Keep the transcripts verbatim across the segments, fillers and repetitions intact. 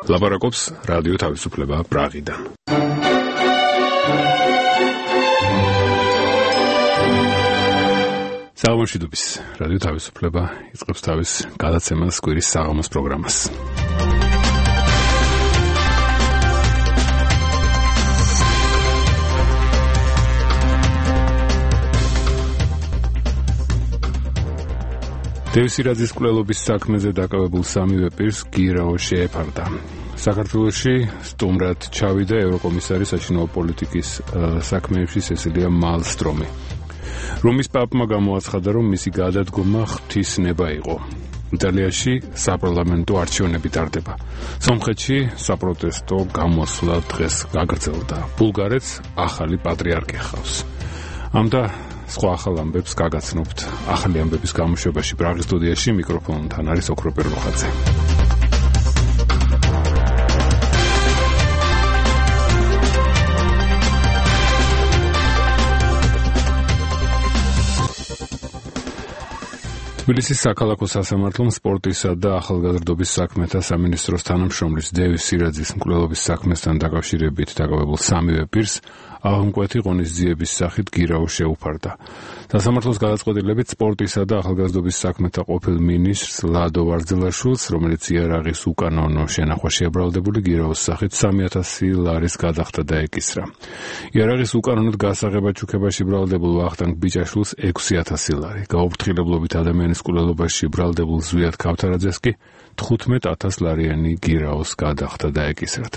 ლაპარაკობს რადიო თავისუფლება პრაღიდან. საღამოშიდობის რადიო თავისუფლება იწყებს თავის გადაცემას კვირის საღამოს პროგრამას. დევი სირაძის მკვლელობის საქმეზე დაკავებულ სამივე პირს გირაო შეეფარდა. საქართველოში სტუმრად ჩავიდა ევროკომისარი საშინაო პოლიტიკის საქმეებში სესილია მალსტრომი. რომის პაპმა გამოაცხადა, რომ მისი გადადგომა ღვთისნება იყო. იტალიაში საპარლამენტო არჩევნები ტარდება. სომხეთში საპროტესტო გამოსვლა დღეს გაგრძელდა. ბულგარეთს ახალი პატრიარქი ჰყავს. ამდა სხვა ახალ ამბებს გაგაცნობთ ახალი ამბების გამოშვებაში. პრაღის სტუდიაში მიკროფონთან არის ოქრო პერლოხაძე. თბილისის საქალაქო სასამართლომ სპორტისა და ახალგაზრდობის საქმეთა სამინისტროს თანამშრომლის დევი სირაძის მკვლელობის საქმესთან დაკავშირებით დაკავებულ სამივე პირს აღმკვეთი ღონისძიების სახით გირაო შეუფარდა. სასამართლოს გადაწყვეტილებით სპორტისა და ახალგაზრდობის საქმეთა ყოფილ მინისტრს ლადო ვარძელაშვილს, რომელიც იარაღის უკანონო შენახვა შებრალდებული გირაოს სახით სამი ათასი ლარის გადახდა დაეკისრა. იარაღის უკანონოდ გასაღებად ჩუქებაში ბრალდებულ ვახტანგ ბიჭაშვილს ექვსი ათასი ლარი, გაუფრთხილებლობით ადამიანის მკვლელობაში ბრალდებულ ზვიად ქავთარაძეს კი თხუთმეტ ათას ლარიანი გირაოს გადახდა დაეკისრათ.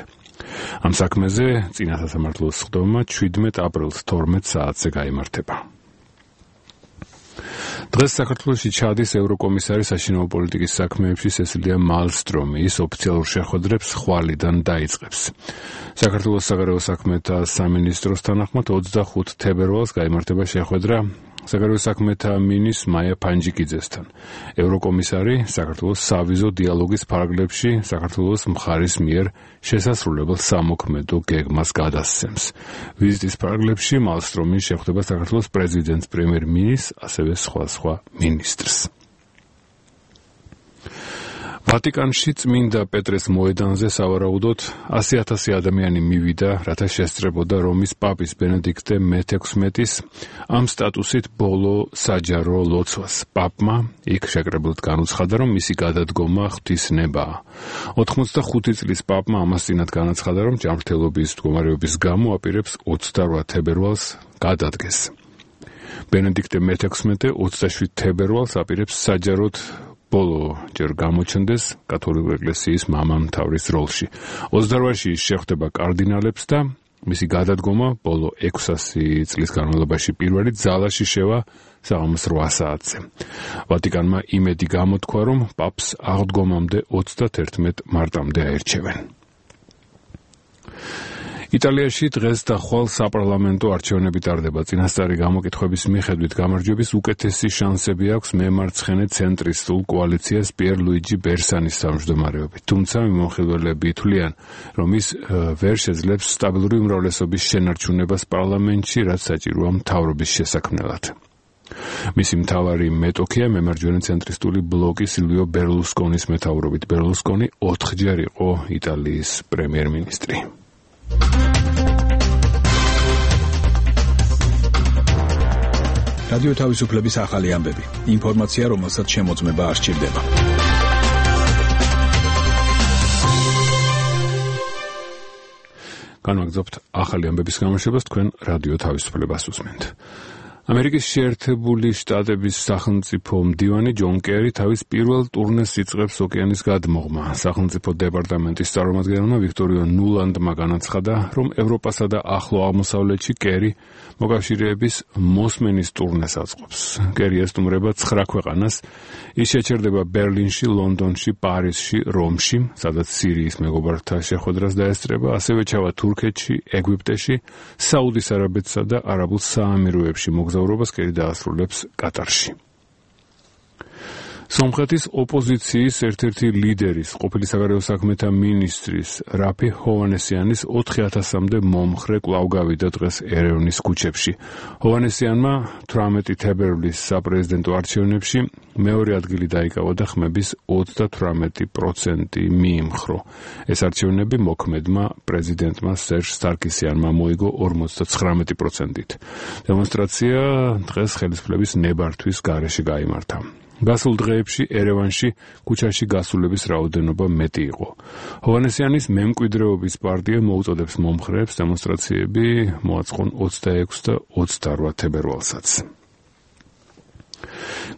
ამ საქმეზე წინა სასამართლოს სხდომა შვიდმეტ აპრილს თორმეტ საათზე გაიმართება. დღეს საქართველოში ჩადის ევროკომისარი საშინაო პოლიტიკის საქმეებში სესილია მალსტრომი. ის ოფიციალურ შეხვედრებს ხვალიდან დაიწყებს. საქართველოს საგარეო საქმეთა სამინისტროს თანახმად ოცდახუთი თებერვალს გაიმართება შეხვედრა საგარეო საქმეთა მინისტრ მაია ფანჯიკიძესთან. ევროკომისარი საქართველოს სავიზო დიალოგის ფარგლებში საქართველოს მხარის მიერ შესასრულებელ სამოქმედო გეგმას გადასცემს. ვიზიტის ფარგლებში მალსტრომი შეხვდება საქართველოს პრეზიდენტს, პრემიერ-მინისტრს, ასევე სხვა სხვა მინისტრს. ვატიკანში წმინდა პეტრეს მოედანზე სავარაუდოდ ასი ათასი ადამიანი მივიდა, რათა შესწრებოდა რომის პაპის ბენედიქტე მეთექვსმეტის ამ სტატუსით ბოლო საჯარო ლოცვას. პაპმა იქ შეკრებილად განუცხადა, რომ მისი გადადგომა ღვთისნებაა. ოთხმოცდახუთი წლის პაპმა ამას წინათ განაცხადა, რომ ჯანმრთელობის მდგომარეობის გამო აპირებს ოცდარვა თებერვალს გადადგეს. ბენედიქტე მეთექვსმეტე ოცდაშვიდ თებერვალს აპირებს საჯაროდ ბოლო ჯერ გამოჩნდეს კათოლიკური ეკლესიის მამამთავრის როლში. ოცდარვაში შეხვდება კარდინალებს და მისი გადადგომა ბოლო ექვსასი წლის განმავლობაში პირველი ძალაში შევა საღამოს რვა საათზე. ვატიკანმა იმედი გამოთქვა, რომ პაპს აღდგომამდე ოცდათერთმეტ მარტამდე აერჩევენ. იტალიაში დღეს და ხვალ საპარლამენტო არჩევნები ტარდება. წინასწარი გამოკითხვების მიხედვით გამარჯვების უკეთესი შანსები აქვს მემარცხენე ცენტრისტულ კოალიციას პიერ ლუიჯი ბერსანის თავმჯდომარეობით. თუმცა მიმოხილველები თვლიან, რომ ის ვერ შეძლებს სტაბილური უმრავლესობის შენარჩუნებას პარლამენტში, რაც საჭიროა მთავრობის შესაქმნელად. მისი მთავარი მეტოქია მემარჯვენე ცენტრისტული ბლოკი სილვიო ბერლუსკონის მეთაურობით. ბერლუსკონი ოთხჯერ იყო იტალიის პრემიერ-მინისტრი. რადიო თავისუფლების ახალი ამბები. ინფორმაცია, რომელსაც შემოწმება არ სჭირდება. განვაგრძობთ ახალი ამბების გამოშვებას, თქვენ რადიო თავისუფლებას უსმენთ. ამერიკის შეერთებული შტატების სახელმწიფო მდივანი ჯონ კერი თავის პირველ ტურნეს იწყებს ოკეანის გადმოღმა. სახელმწიფო დეპარტამენტის წარმომადგენელმა ვიქტორიო ნულანდმა განაცხადა, რომ ევროპასა და ახლო აღმოსავლეთში კერი მოკავშირეების მოსმენის ტურნეს აწყობს. კერი ესტუმრება ცხრა ქვეყანას. ის შეჩერდება ბერლინში, ლონდონში, პარიზში, რომში, სადაც სირიის მეგობართა შეხვედრას დაესწრება, ასევე ჩავა თურქეთში, ეგვიპტეში, საუდის არაბეთსა და არაბულ საამიროებში. მოგზაურობას კერი დაასრულებს კატარში. სომხეთის ოპოზიციის ერთ-ერთი ლიდერის, ყოფილი საგარეო საქმეთა მინისტრის რაფი ჰოვანესიანის ოთხი ათასამდე მომხრე კვლავ გავიდა დღეს ერევნის ქუჩებში. ჰოვანესიანმა თვრამეტი თებერვლის საპრეზიდენტო არჩევნებში მეორე ადგილი დაიკავა და ხმების ოცდათვრამეტი პროცენტი მიიმხრო. ეს არჩევნები მოქმედმა პრეზიდენტმა სერჟ სარკისიანმა მოიგო ორმოცდათხრამეტი პროცენტით. დემონსტრაცია დღეს ხელისუფლების ნებართვის გარეშე გაიმართა. გასულ დღეებში ერევანში ქუჩაში გასულების რაოდენობა მეტი იყო. ჰოვანესიანის მემკვიდრეობის პარტია მოუწოდებს მომხრეებს დემონსტრაციები მოაწყონ ოცდაექვსი და ოცდაორვა თებერვალსაც.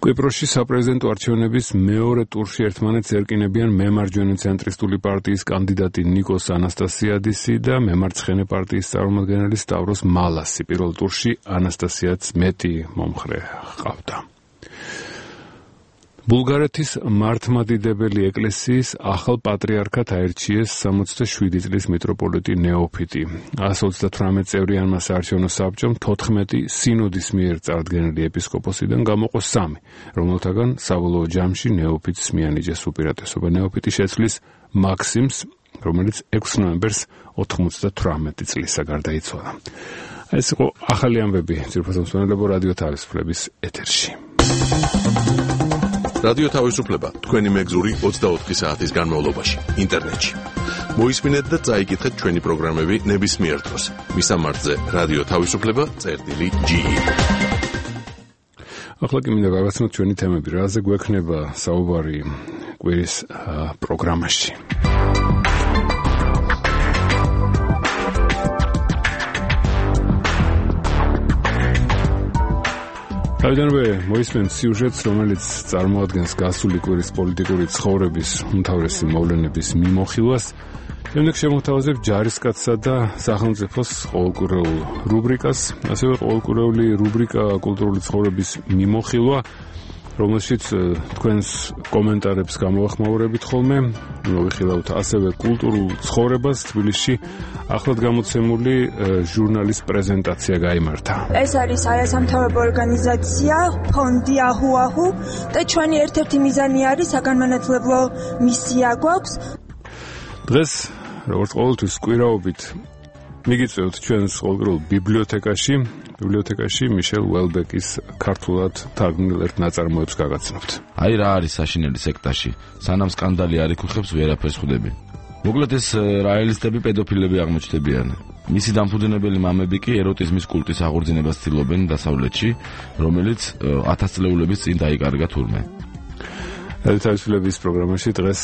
კვიპროსში საპრეზიდენტო არჩევნების მეორე ტურში ერთმანეთს ერკინებიან მემარჯვენე ცენტრისტული პარტიის კანდიდატი ნიკოს ანასტასიადისი და მემარცხენე პარტიის წარმომადგენელი სტავროს მალასი. პირველ ტურში ანასტასიადს მეტი მომხრე ჰყავდა. ბულგარეთის მართლმადიდებელი ეკლესიის ახალ პატრიარქად აირჩიეს სამოცდაშვიდი წლის მიტროპოლიტი ნეოფიტი. ასი ოცდათვრამეტ წევრიანმა საარჩევნო საბჭომ თოთხმეტი სინოდის მიერ წარდგენილი ეპისკოპოსიდან გამოყო სამი, რომელთაგან საბოლოო ჯამში ნეოფიტს მიანიჭეს უპირატესობა. ნეოფიტი შეცვლის მაქსიმს, რომელიც ექვსი ნოემბერს ოთხმოცდათვრამეტი წლისა გარდაიცვალა. ეს იყო ახალი ამბები ძირფას მსმენელებო რადიო თავისუფლების ეთერში. რადიო თავისუფლება თქვენი მეგზური ოცდაოთხი საათის განმავლობაში ინტერნეტში. მოისმინეთ და წაიკითხეთ ჩვენი პროგრამები ნებისმიერ დროს. მისამართზე რადიო თავისუფლება წერტილი ჯი. ახლა კი მინდა გავაცნოთ ჩვენი თემები, რაზე გვექნება საუბარი კვირის პროგრამაში. თავიდანვე მოისმენთ სიუჟეტს, რომელიც წარმოადგენს გასული კვირის პოლიტიკური ცხოვრების უმთავრესი მოვლენების მიმოხილვას. შემდეგ შემოვთავაზებ ჯარისკაცსა და სახელმწიფოს ყოველკვირეულ რუბრიკას, ასევე ყოველკვირეული რუბრიკა კულტურული ცხოვრების მიმოხილვა, რომელშიც თქვენს კომენტარებს გამოვახმაურებით ხოლმე. მოვიხილავთ ასევე კულტურულ ცხოვრებას. თბილისში ახლად გამოცემული ჟურნალის პრეზენტაცია გაიმართა. ეს არის არასამთავრობო ორგანიზაცია ფონდი აჰუ-აჰუ და ჩვენი ერთ-ერთი მიზანი არის საგანმანათლებლო მისია გვაქვს. დღეს როგორც ყოველთვის კვირაობით მიგიწევთ ჩვენს ყოველკვირეულ ბიბლიოთეკაში. ბიბლიოთეკაში მიშელ უელბეკის ქართულად თარგმნილ ერთ ნაწარმოებს გაგაცნობთ. აი რა არის საშინელი სექტაში. სანამ სკანდალი არ იკუხებს, ვერაფერს ხვდები. მოკლედ ეს რაელისტები პედოფილები აღმოჩნდებიან. მისი დამფუძნებელი მამები კი ეროტიზმის კულტის აღორძინებას ცდილობენ დასავლეთში, რომელიც ათასწლეულების წინ დაიკარგა თურმე. თავისუფლების პროგრამაში დღეს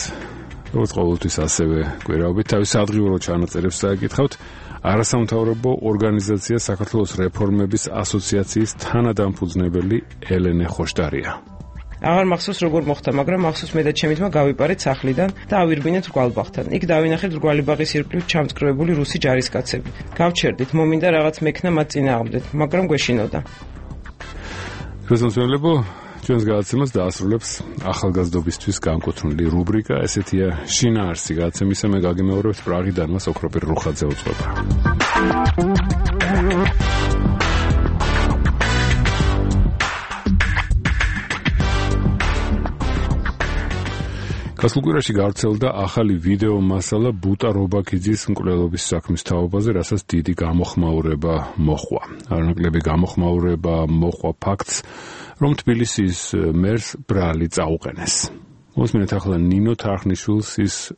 როგორც ყოველთვის ასევე კვირაობით თავის ადგილობრივ ჩანაწერებს დააკითხავთ. არასამთავრობო ორგანიზაცია საქართველოს რეფორმების ასოციაციის თანადამფუძნებელი ელენე ხოშტარია. აღარ მახსოვს როგორ მოხდა, მაგრამ მახსოვს მე და ჩემი ძმა გავიპარეთ სახლიდან და ავირბინეთ რგვალბაღთან. იქ დავინახეთ რგვალიბაღის ირგვლივ ჩამწკრივებული რუსი ჯარისკაცები. გავჩერდით, მომინდა რაღაც მექნა მათ წინააღმდეთ, მაგრამ გვეშინოდა. გასასვლელებო ჩვენს გადაცემას დაასრულებს ახალგაზრდობისთვის განკუთვნილი რუბრიკა, ესეთია შინაარსი გადაცემისა. მე გაგიმეორებთ პრაღიდან მას ოქროპირ რუხაძე უწყება. გასულ კვირაში გავრცელდა ახალი ვიდეო მასალა ბუტა რობაქიძის მკვლელობის საქმის თაობაზე, რასაც დიდი გამოხმაურება მოჰყვა. არანაკლები გამოხმაურება მოჰყვა ფაქტს, რომ თბილისის მერს ბრალი წაუყენეს. მოსმინეთ ახლა ნინო თარხნიშვილს, ის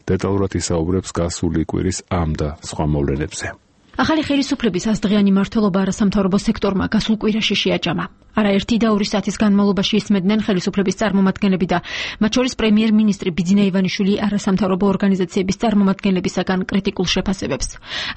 დეტალურად ისაუბრებს გასული კვირის ამ და სხვა მოვლენებზე. ახალი ხელისუფლების ასდღიანი მმართველობა არასამთავრობო სექტორმა გასულ კვირაში შეაჭამა. არაერთი და ორი საათის განმავლობაში ისმედნენ ხელისუფლების წარმომადგენლები და მათ შორის პრემიერ-მინისტრი ბიძინა ივანიშვილი არასამთავრობო ორგანიზაციების წარმომადგენლებისაგან კრიტიკულ შეფასებებს.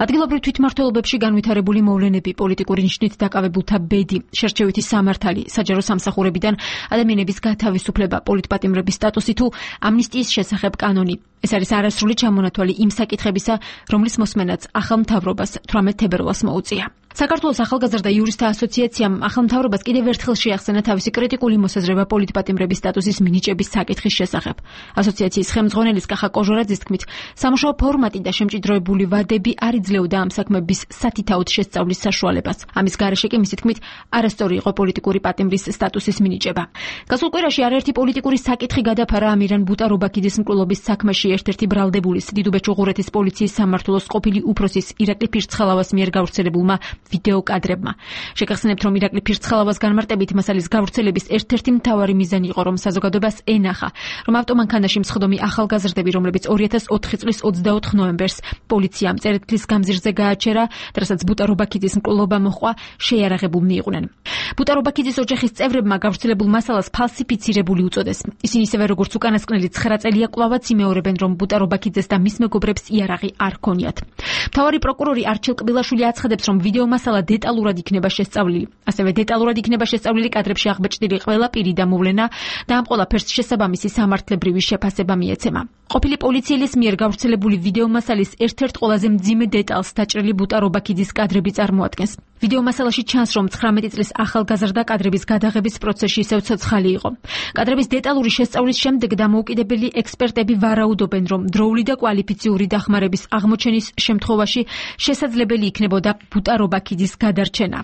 ადგილობრივ თვითმმართველობებში განვითარებული მოვლენები, პოლიტიკური ნიშნით დაკავებულთა ბედი, შერჩევითი სამართალი, საჯარო სამსახურებიდან ადამიანების გათავისუფლება, პოლიტპატიმრების სტატუსი თუ ამნისტიის შესახებ კანონი. ეს არის არასრული ჩამონათვალი იმ საკითხებისა, რომლის მოსმენაც ახალ მთავრობას თვრამეტ თებერვალს მოუწია. საქართველოს ახალგაზრდა იურისტთა ასოციაციამ ახალმთავრობას კიდევ ერთხელ შეახსენა თავისი კრიტიკული მოსაზრება პოლიტპატიმრების სტატუსის მინიჭების საკითხის შესახებ. ასოციაციის ხელმძღვანელის კახა კოჟორაძის თქმით, სამუშაო ფორმატი და შემჭიდროებული ვადები არ იძლეოდა ამ საქმების სათითაოდ შესწავლის საშუალებას. ამის გარეშე კი მისი თქმით, არასწორი იყო პოლიტიკური პატიმრის სტატუსის მინიჭება. გასულ კვირაში არაერთი პოლიტიკური საკითხი გადაფარა ამირან ბუტარობაქიძის მკვლელობის საქმეში ერთ-ერთი ბრალდებულის დიდუბეჭუღურეთის პოლიციის სამმართველოს ყოფილი უფროსის ირაკლი ფირცხალავას მიერ გავრცელებულმა ვიდეო კადრებმა. შეგახსენებთ, რომ ირაკლი ფირცხალავას განმარტებით მასალის გავრცელების ერთ-ერთი მთავარი მიზანი იყო, რომ საზოგადოებას ენახა, რომ ავტომანქანაში მსხდომი ახალგაზრდები, რომლებიც ორი ათას ოთხი წლის ოცდაოთხ ნოემბერს პოლიციამ წერეთლის გამზირზე გააჩერა, რასაც ბუტარობაქიძის მკვლელობა მოჰყვა, შეიარაღებულნი იყვნენ. ბუტარობაქიძის ოჯახის წევრებმა გავრცელებულ მასალას ფალსიფიცირებული უწოდეს. ისინი ისევე როგორც უკანასკნელი ცხრა წელია კვლავაც იმეორებენ, რომ ბუტარობაქიძეს და მის მეგობრებს იარაღი არ ჰქონიათ. მთავარი პროკურორი არჩილ კბილაშვილი აცხადებს, რომ ვიდეო მასალა დეტალურად იქნება შესწავლილი. ასევე დეტალურად იქნება შესწავლილი კადრებში აღბეჭდილი ყველა პირი და მოვლენა და ამ ყველაფერს შესაბამისი სამართლებრივი შეფასება მიეცემა. ყოფილი პოლიციელის მიერ გავრცელებული ვიდეო მასალის ერთ-ერთ ყველაზე მძიმე დეტალს დაჭრილი ბუტარობაქიძის კადრები წარმოადგენს. ვიდეო მასალაში ჩანს, რომ ცხრამეტი წლის ახალგაზრდა კადრების გადაღების პროცესში ისევ ცოცხალი იყო. კადრების დეტალური შესწავლის შემდეგ დამოუკიდებელი ექსპერტები ვარაუდობენ, რომ დროული და კვალიფიციური დახმარების აღმოჩენის შემთხვევაში შესაძლებელი იქნებოდა ბუტარობაქიძის გადარჩენა.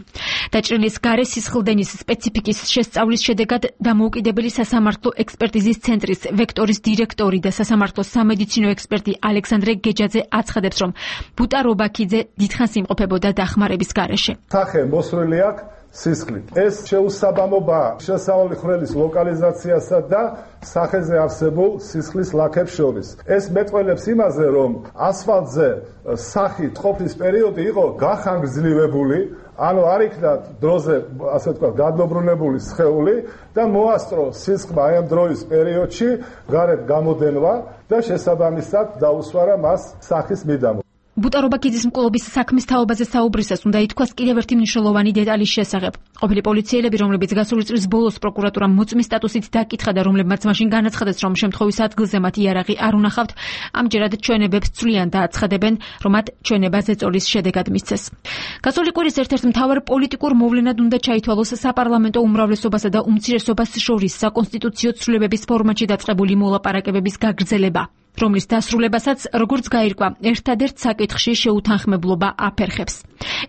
დაჭრილის გარე სისხლდენის სპეციფიკის შესწავლის შედეგად დამოუკიდებელი სასამართლო ექსპერტიზის ცენტრის ვექტორის დირექტორი და სასამართლოს სამედიცინო ექსპერტი ალექსანდრე გეჯაძე აცხადებს, რომ ბუტარობაქიძე დიდხანს იმყოფებოდა დახმარების გარეშე. სახე მოსვლილი აქვს სისხლით. ეს შეუსაბამობაა შესავალი ხვრელის ლოკალიზაციასა და სახეზე არსებულ სისხლის ლაქებს შორის. ეს მეტყველებს იმაზე, რომ ასფალტზე სახით ყოფნის პერიოდი იყო გახანგრძლივებული, ანუ არ იქნა დროზე, ასე ვთქვათ, გადმობრუნებული სხეული და მოასწრო სისხლმა აი ამ დროის პერიოდში გარეთ გამოდენვა და შესაბამისად დაუსვარა მას სახის მიდამო. ბუტარობაქიძის მკვლობის საქმის თაობაზე საუბრისას უნდა ითქვას კიდევ ერთი მნიშვნელოვანი დეტალის შესახებ. ყოფილი პოლიციელები, რომლებიც გასული წლის ბოლოს პროკურატურამ მოწმის სტატუსით დაკითხა და რომლებმაც მაშინ განაცხადეს, რომ შემთხვევის ადგილზე მათ იარაღი არ უნახავთ, ამჯერად ჩვენებებს ცვლიან და აცხადებენ, რომ მათ ჩვენება ზეწოლის შედეგად მისცეს. გასული კვირის ერთ-ერთ მთავარ პოლიტიკურ მოვლენად უნდა ჩაითვალოს საპარლამენტო უმრავლესობასა და უმცირესობას შორის საკონსტიტუციო ცვლილებების ფორმატში დაწყებული მოლაპარაკებების გაგრძელება, რომლის დასრულებასაც, როგორც გაირკვა, ერთადერთ საკითხში შეუთანხმებლობა აფერხებს.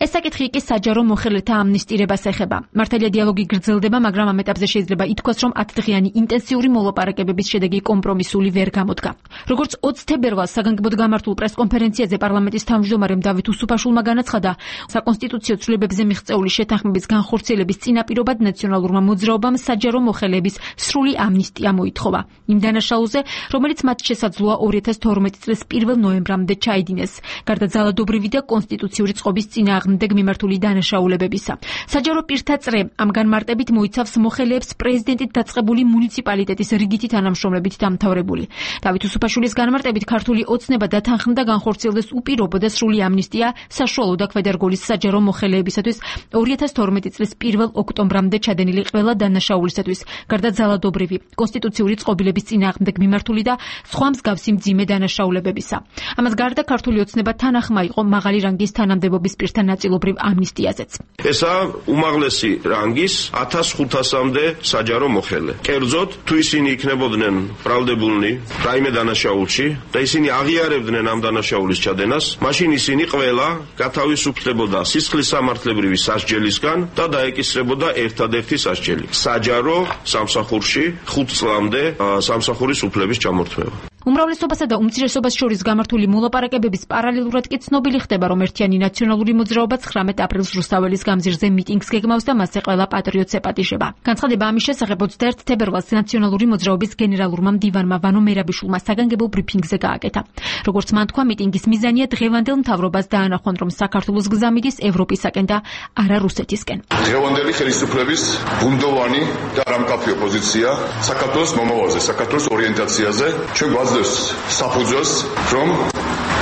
ეს საკითხი კი საჯარო მოხელეთა ამნისტირებას ეხება. მართალია დიალოგი გრძელდება, მაგრამ ამ ეტაპზე შეიძლება ითქვას, რომ ათდღიანი ინტენსიური მოლაპარაკებების შედეგი კომპრომისული ვერ გამოდგა. როგორც ოცი თებერვალს საგანგებოდ გამართულ პრესკონფერენციაზე პარლამენტის თავმჯდომარემ დავით უსუფაშულმა განაცხადა, საკონსტიტუციო ცვლილებებზე მიღწეული შეთანხმების განხორციელების წინაპირობად ნაციონალურმა მოძრაობამ საჯარო მოხელეების სრული ამნისტია მოითხოვა. იმ დანაშაულზე, რომელიც მათ შესაძლოა ორი ათას თორმეტი წლის პირველ ნოემბრამდე ჩაიდინეს, გარდა ძალადობრივი და კონსტიტუციური წყობის წინააღმდეგ მიმართული დანაშაულებებისა. საჯარო პირთა წრე ამ განმარტებით მოიცავს მოხელეებს პრეზიდენტით დაწყებული მუნიციპალიტეტის რიგითი თანამშრომლებით დამთავრებული. დავით უსუფაშვილის განმარტებით ქართული ოცნება დათანხმდა განხორციელდეს უპირობო და სრული ამნისტია საშუალო და ქვედარგოლის საჯარო მოხელეებისათვის ორი ათას თორმეტი წლის პირველ ოქტომბრამდე ჩადენილი ყველა დანაშაულისათვის, გარდა ძალადობრივი, კონსტიტუციური წყობილების წინააღმდეგ მიმართული და სხვა მსგავსი მძიმე დანაშაულებებისა. ამას გარდა ქართული ოცნება თანახმა იყო მაღალი რანგის თანამდებობის პირთა ნაწილობრივ ამნისტიაზეც. ესაა უმაღლესი რანგის ათას ხუთასამდე საჯარო მოხელე. კერძოდ, თუ ისინი იქნებოდნენ ბრალდებულნი რაიმე დანაშაულში და ისინი აღიარებდნენ ამ დანაშაულის ჩადენას, მაშინ ისინი ყველა გათავისუფლებოდა სისხლის სამართლებრივი სასჯელისგან და დაეკისრებოდა ერთადერთი სასჯელი. საჯარო სამსახურში ხუთ წლამდე სამსახურის უფლების ჩამორთმევა. უმრავლესობასა და უმცირესობას შორის გამართული მოლაპარაკებების პარალელურად კი ცნობილი ხდება, რომ ერთიანი ნაციონალური მოძრაობა ცხრამეტ აპრილს რუსთაველის გამზირზე მიტინგს გეგმავს და მასზე ყველა პატრიოტს ეპატიჟება. განცხადება ამის შესახებ ოცდაერთი თებერვალს ნაციონალური მოძრაობის გენერალურმა მდივანმა ვანო მერაბიშვილმა საგანგებო ბრიფინგზე გააკეთა. როგორც მან თქვა, მიტინგის მიზანია დღევანდელ მთავრობას დაანახვონ, რომ საქართველოს გზა მიდის ევროპისაკენ და არა რუსეთისკენ. დღევანდელი ხელისუფლების ბუნდოვანი და არამკაფი ოპოზიცია საქართველოს მომავალზე, საქართველოს ორიენტაციაზე ჩვენ საფუძველს, რომ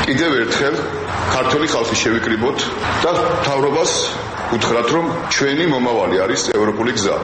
კიდევ ერთხელ ქართული ხალხი შევიკრიბოთ და მთავრობას უთხრათ, რომ ჩვენი მომავალი არის ევროპული გზა.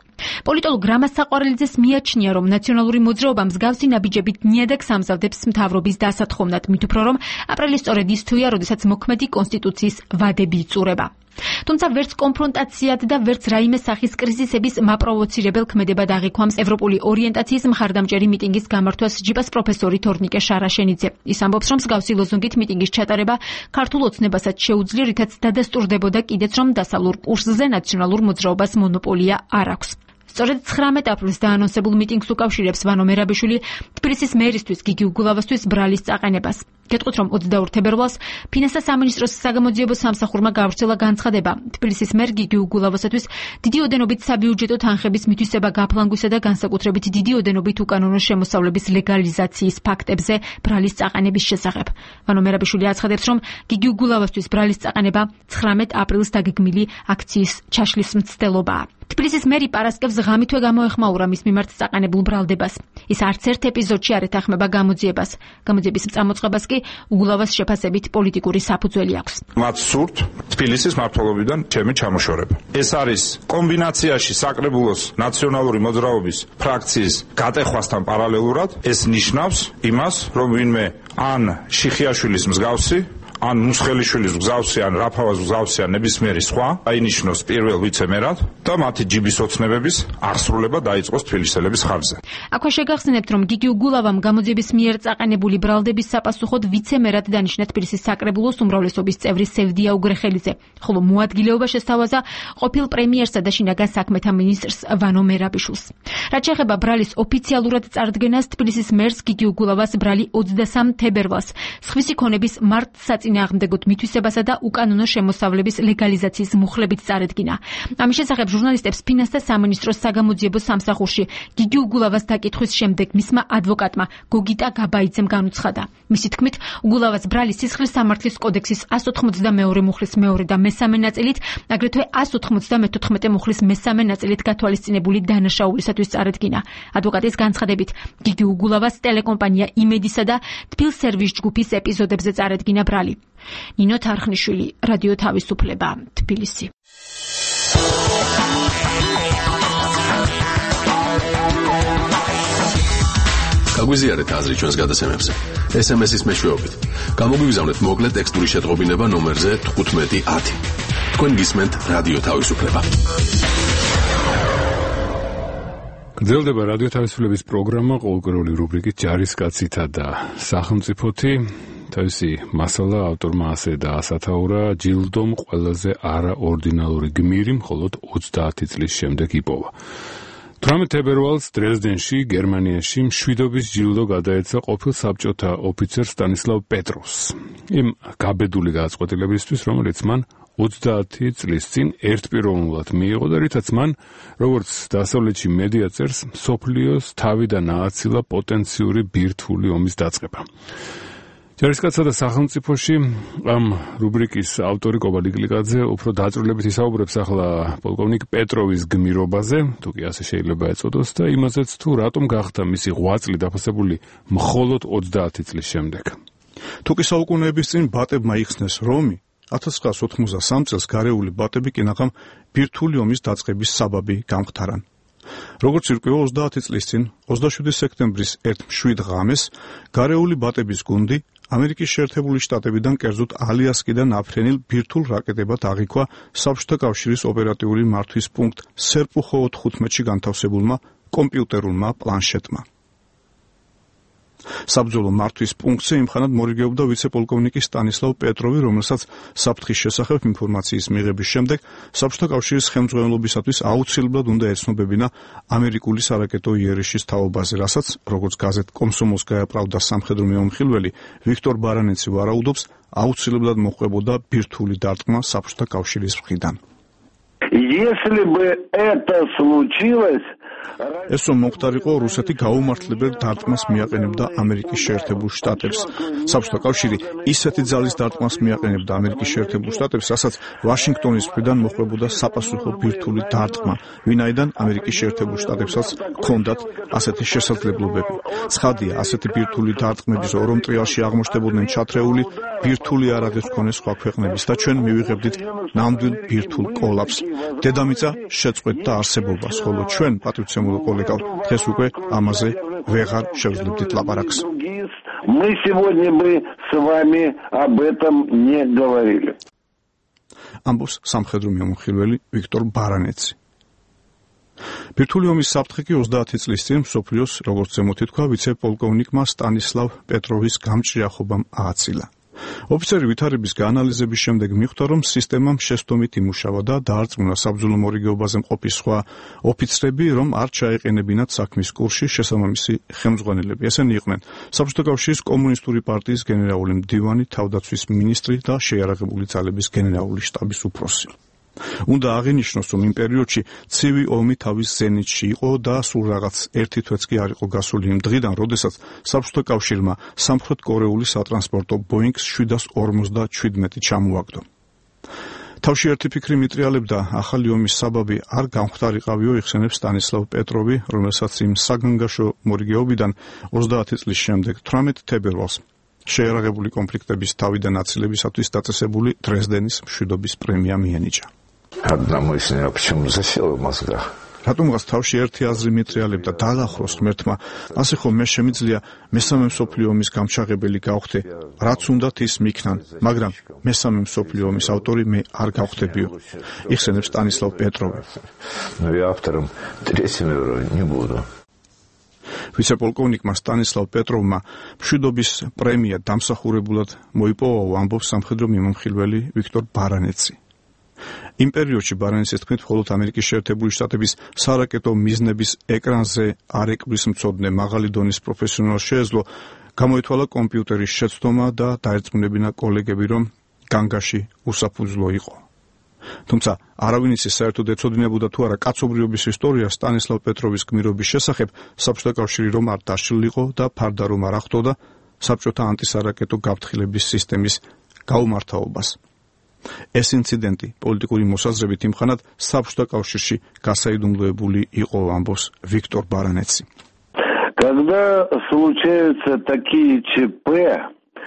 პოლიტოლოგ რამაზ საყვარელიძეს მიაჩნია, რომ ნაციონალური მოძრაობა მსგავსი ნაბიჯებით ნიადაგს ამზადებს მთავრობის დასათხოვნად, მით უფრო რომ აპრილი სწორედ ის თვეა, როდესაც მოქმედი კონსტიტუციის ვადები იწურება. თუმცა ვერც კონფრონტაციად და ვერც რაიმე სახის კრიზისების მაპროვოცირებელ ქმედებად აღიქვამს ევროპული ორიენტაციის მხარდამჭერი მიტინგის გამართვას ჯიპას პროფესორი თორნიკე შარაშენიძე. ის ამბობს, რომ მსგავსი ლოზუნგით მიტინგის ჩატარება ქართულ ოცნებასაც შეუძლია, რითაც დადასტურდებოდა კიდეც, რომ დასავლურ კურსზე ნაციონალურ მოძრაობას მონოპოლია არ აქვს. სწორედ ცხრამეტ აპრილს დაანონსებულ მიტინგს უკავშირებს ვანო მერაბიშვილი თბილისის მერისთვის გიგი უგულავასთვის ბრალის წაყენებას. გეტყვით, რომ ოცდაორ თებერვალს ფინანსთა სამინისტროს საგამოძიებო სამსახურმა გავრცელა განცხადება. თბილისის მერ გიგი უგულავასათვის დიდი ოდენობით საბიუჯეტო თანხების მითვისება გაფლანგვისა და განსაკუთრებით დიდი ოდენობით უკანონო შემოსავლების ლეგალიზაციის ფაქტებზე ბრალის წაყენების შესახებ. ვანო მერაბიშვილი აცხადებს, რომ გიგი უგულავასთვის ბრალის წაყენება ცხრამეტ აპრილს დაგეგმილი აქციის ჩაშლის მცდელობაა. თბილისის მერი პარასკევს ღამითვე გამოეხმაურა მის მიმართ წაყენებულ ბრალდებას. ის არც ერთ ეპიზოდში არ ეთანხმება გამოძიებას. გამოძიების წამოწყებას კი უგულავას შეფასებით პოლიტიკური საფუძველი აქვს. მათ სურთ თბილისის მმართველობიდან ჩემი ჩამოშორება. ეს არის კომბინაციაში საკრებულოს ნაციონალური მოძრაობის ფრაქციის გატეხვასთან პარალელურად. ეს ნიშნავს იმას, რომ ვინმე ან შიხიაშვილის მსგავსი ან მუსხელიშვილის მსგავსი, ან რაფავას მსგავსი, ან ნებისმიერი სხვა აინიშნოს პირველ ვიცემერად და მათი ჯიბის ოცნებების აღსრულება დაიწყოს თბილისელების ხარჯზე. აქვე შეგახსენებთ, რომ გიგი უგულავამ გამოძიების მიერ წაყენებული ბრალდების საპასუხოდ ვიცემერად დანიშნა თბილისის საკრებულოს უმრავლესობის წევრი სევდია უგრეხელიძე, ხოლო მოადგილეობა შესთავაზა ყოფილ პრემიერსა და შინაგან საქმეთა მინისტრს ვანო მერაბიშვილს. რაც შეეხება ბრალის ოფიციალურად წარდგენას, თბილისის მერს გიგი უგულავას ბრალი ოცდასამ თებერვალს სხვისი ქონების მარტსაწინააღმდეგო წინააღმდეგოთ მითვისებასა და უკანონო შემოსავლების ლეგალიზაციის მუხლებით წარედგინა. ამის შესახებ ჟურნალისტებს ფინანსთა სამინისტროს საგამოძიებო სამსახურში გიგი უგულავას დაკითხვის შემდეგ მისმა ადვოკატმა გოგიტა გაბაიძემ განუცხადა. მისი თქმით, უგულავას ბრალი სისხლის სამართლის კოდექსის εκατს ოცდაოთხ მუხლის მეორე და მესამე ნაწილით, აგრეთვე εκατს ოცდამეთოთხმეტე მუხლის მესამე ნაწილით გათვალისწინებული დანაშაულისათვის წარედგინა. ადვოკატის განცხადებით, გიგი უგულავას ტელეკომპანია იმედისა და თბილსერვის ჯგუფის ეპიზოდებზე წარედგინა ბრალი. ნინო თარხნიშვილი, რადიო თავისუფლება, თბილისი. გაგვიზიარეთ აზრი ჩვენს გადაცემებზე. ეს ემ ეს-ის მეშვეობით. გამოგვიგზავნეთ მოკლე ტექსტური შეტყობინება ნომერზე თხუთმეტი ათი. თქვენ გისმენთ რადიო თავისუფლება. გრძელდება რადიო თავისუფლების პროგრამა ყოველკვირეული რუბრიკით ჯარისკაცითა და სახელმწიფოთი. თავისი მასალა ავტორმა ასე დაასათაურა, ჯილდომ ყველაზე არაორდინალური გმირი მხოლოდ ოცდაათი წლის შემდეგ იპოვა. თვრამეტ თებერვალს დრეზდენში, გერმანიაში მშვიდობის ჯილდო გადაეცა ყოფილ საბჭოთა ოფიცერ სტანისლავ პეტროვს. იმ გაბედული გადაწყვეტილებისთვის, რომელიც მან ოცდაათი წლის წინ ერთპიროვნულად მიიღო და რითაც მან, როგორც დასავლეთში მედია წერს, მსოფლიოს თავიდან ააცილა პოტენციური ბირთვული ომის დაწყება. ჯარისკაცსა და სახელმწიფოში ამ რუბრიკის ავტორი კობალი გლიკაძე უფრო დაწვრილებით ისაუბრებს ახლა პოლკოვნიკ პეტროვის გმირობაზე, თუ კი ასე შეიძლება ეწოდოს, და იმაზეც თუ რატომ გახდა მისი ღვაწლი დაფასებული მხოლოდ ოცდაათი წლის შემდეგ. თუკი საუკუნეების წინ ბატებმა იხსნეს რომი, ათას ცხრაას ოთხმოცდასამ წელს გარეული ბატები კინაღამ ბირთვული ომის დაწყების საბაბი გამختარან. როგორც ირკვევა ოცდაათი წლის წინ, ოცდაშვიდი სექტემბრის ერთ მშვიდ ღამეს, გარეული ბატების გუნდი ამერიკის შეერთებული შტატებიდან, კერძოდ ალიასკიდან აფრენილ ბირთვულ რაკეტებად აღიქვა საბჭოთა კავშირის ოპერატიული მართვის პუნქტ სერპუხო ოთხმოცი განთავსებულმა კომპიუტერულმა პლანშეტმა. საბრძოლო მართვის პუნქტზე იმხანად მორიგეობდა ვიცე-პოლკოვნიკი სტანისლავ პეტროვი, რომელსაც საფრთხის შესახებ ინფორმაციის მიღების შემდეგ საბჭოთა კავშირის ხელმძღვანელობისათვის აუცილებლად უნდა ეცნობებინა ამერიკული სარაკეტო იერიშის თაობაზე, რასაც, როგორც გაზეთ კომსომოლსკაია პრავდა სამხედრო მეომხილველი ვიქტორ ბარანეცი ვარაუდობს, აუცილებლად მოჰყვებოდა ბირთვული დარტყმა საბჭოთა კავშირის მხრიდან. Если бы это случилось, ეს რომ მომხდარიყო, რუსეთი გაუმართლებელ დარტყმას მიაყენებდა ამერიკის შეერთებულ შტატებს. საბჭოთა კავშირი ისეთი ძალის დარტყმას მიაყენებდა ამერიკის შეერთებულ შტატებს, რასაც ვაშინგტონის მხრიდან მოხდებოდა საპასუხო ბირთვული დარტყმა, ვინაიდან ამერიკის შეერთებულ შტატებსაც ჰქონდათ ასეთი შესაძლებლობები. ცხადია, ასეთი ბირთვული დარტყმების ორ ტრიალში აღმოჩნდებოდნენ ჩათრეული ბირთვული არაღებს მქონე სხვა ქვეყნების და ჩვენ მივიღებდით ნამდვილ ბირთვულ კოლაფსს. დედამიწა შეწყვეტდა არსებობას, ხოლო ჩვენ, პატრიცემულო კოლეგავ, დღეს უკვე ამაზე ვეღარ შევძლებდით ლაპარაკს. Мы сегодня бы с вами об этом не говорили. ამბობს სამხედრო მიმოხილველი ვიქტორ ბარანეცი. ბირთვული ომის საფრთხე კი ოცდაათი წლის წინ მსოფლიოს, როგორც ზემოთ ითქვა, ვიცე-პოლკოვნიკმა სტანისლავ პეტროვის გამჭრიახობამ ააცილა. ოფიცერი ვითარების გაანალიზების შემდეგ მიხვდა, რომ სისტემამ შესტომით იმუშავა და დაარწმუნა საბრძოლო მორიგეობაზე მყოფი სხვა ოფიცრები, რომ არ ჩაეყენებინათ საქმის კურსში შესაბამისი ხელმძღვანელები. ესენი იყვნენ საბჭოთა კავშირის კომუნისტური პარტიის გენერალური მდივანი, თავდაცვის მინისტრი და შეიარაღებული ძალების გენერალური შტაბის უფროსი. უნდა აღინიშნოს, რომ იმ პერიოდში ცივი ომი თავის ზენიტში იყო და სულ რაღაც ერთი თვეც კი არ იყო გასული იმ დღიდან, როდესაც საბჭოთა კავშირმა სამხრეთ კორეული სატრანსპორტო ბოინგს შვიდას ორმოცდაჩვიდმეტი ჩამოაგდო. თავში ერთი ფიქრი მიტრიალებდა, ახალი ომის საბაბი არ გამხდარიყავიო, იხსენებს სტანისლავ პეტროვი, რომელსაც იმ საგანგაშო მორიგეობიდან ოცდაათი წლის შემდეგ თვრამეტ თებერვალს შეიარაღებული კონფლიქტების თავიდან აცილებისათვის დაწესებული დრეზდენის მშვიდობის პრემია მიენიჭა. Одному из них почему засела в мозгах. რატომღაც თავში ერთი აზრი მიტრიალებდა დაალახროს ღმერთმა, ასე ხომ მე შემიძლია მესამე მსოფლიო ომის გამჩაღებელი გავხდე, რაც უნდათ ის მიქნან, მაგრამ მესამე მსოფლიო ომის ავტორი მე არ გავხდებიო. იხსენებს სტანისლავ პეტროვი. Ну и автором третьего не буду. ვიცე-პოლკოვნიკმა სტანისლავ პეტროვმა მშვიდობის პრემია დამსახურებულად მოიპოვა, ამბობს სამხედრო მიმომხილველი ვიქტორ ბარანეცი. იმ პერიოდში ბარანეცის თქმით, მხოლოდ ამერიკის შეერთებული შტატების სარაკეტო მიზნების ეკრანზე არ ეკბრის მცოდნე მაღალი დონის პროფესიონალს შეეძლო გამოითვალა კომპიუტერის შეცდომა და დაერწმუნებინა კოლეგები, რომ განგაში უსაფუძვლო იყო. თუმცა არავინ იცის საერთოდ ეცოდინებოდა თუ არა კაცობრიობის ისტორია სტანისლავ პეტროვის გმირობის შესახებ, საბჭოთა კავშირი რომ არ დაშლილიყო და ფარდა რომ არ ახდოდა საბჭოთა ანტისარაკეტო გაფრთხილების სისტემის გაუმართავობას. ეს ინციდენტი პოლიტიკური მოსაზრებით იმხანად საბჭოთა კავშირში გასაიდუმლოებული იყო, ამბობს ვიქტორ ბარანეცი. Когда случаются такие ЧП,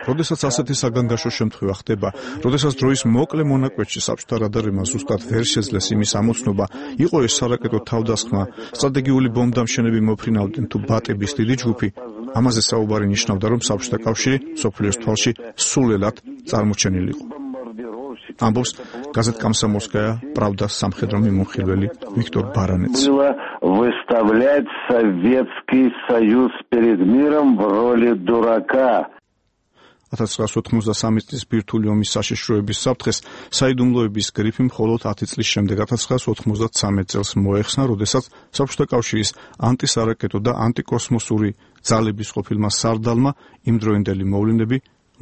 როდესაც ასეთი საგანგაშო შემთხვევა ხდება, როდესაც დროის მოკლე მონაკვეთში საბჭოთა რადარებმა ზუსტად ვერ შეძლეს იმის ამოცნობა, იყო ეს სარაკეტო თავდასხმა, სტრატეგიული ბომბდამშენები მოფრინავდნენ თუ ბატების დიდი ჯგუფი, ამაზე საუბარი ნიშნავდა, რომ საბჭოთა კავშირი მსოფლიოს თვალში სულელად წარმოჩენილიყო. ამბობს გაზეთ Комсомольская правда სამხედრო მიმოხილველი ვიქტორ ბარანეცი. выставлять Советский Союз перед миром в роли дурака. ათას ცხრაასი ოთხმოცდასამი წლის ბირთვული ომის საშიშროების საფრთხეს საიდუმლოების გრიფი მხოლოდ ათი წლის შემდეგ ათას ცხრაასი ოთხმოცდათვრამეტ წელს მოეხსნა, როდესაც საბჭოთა კავშირის ანტისარაკეტო და ანტიკოსმოსური ძალების ყოფილმა სარდალმა იმდროინდელი მოვლენები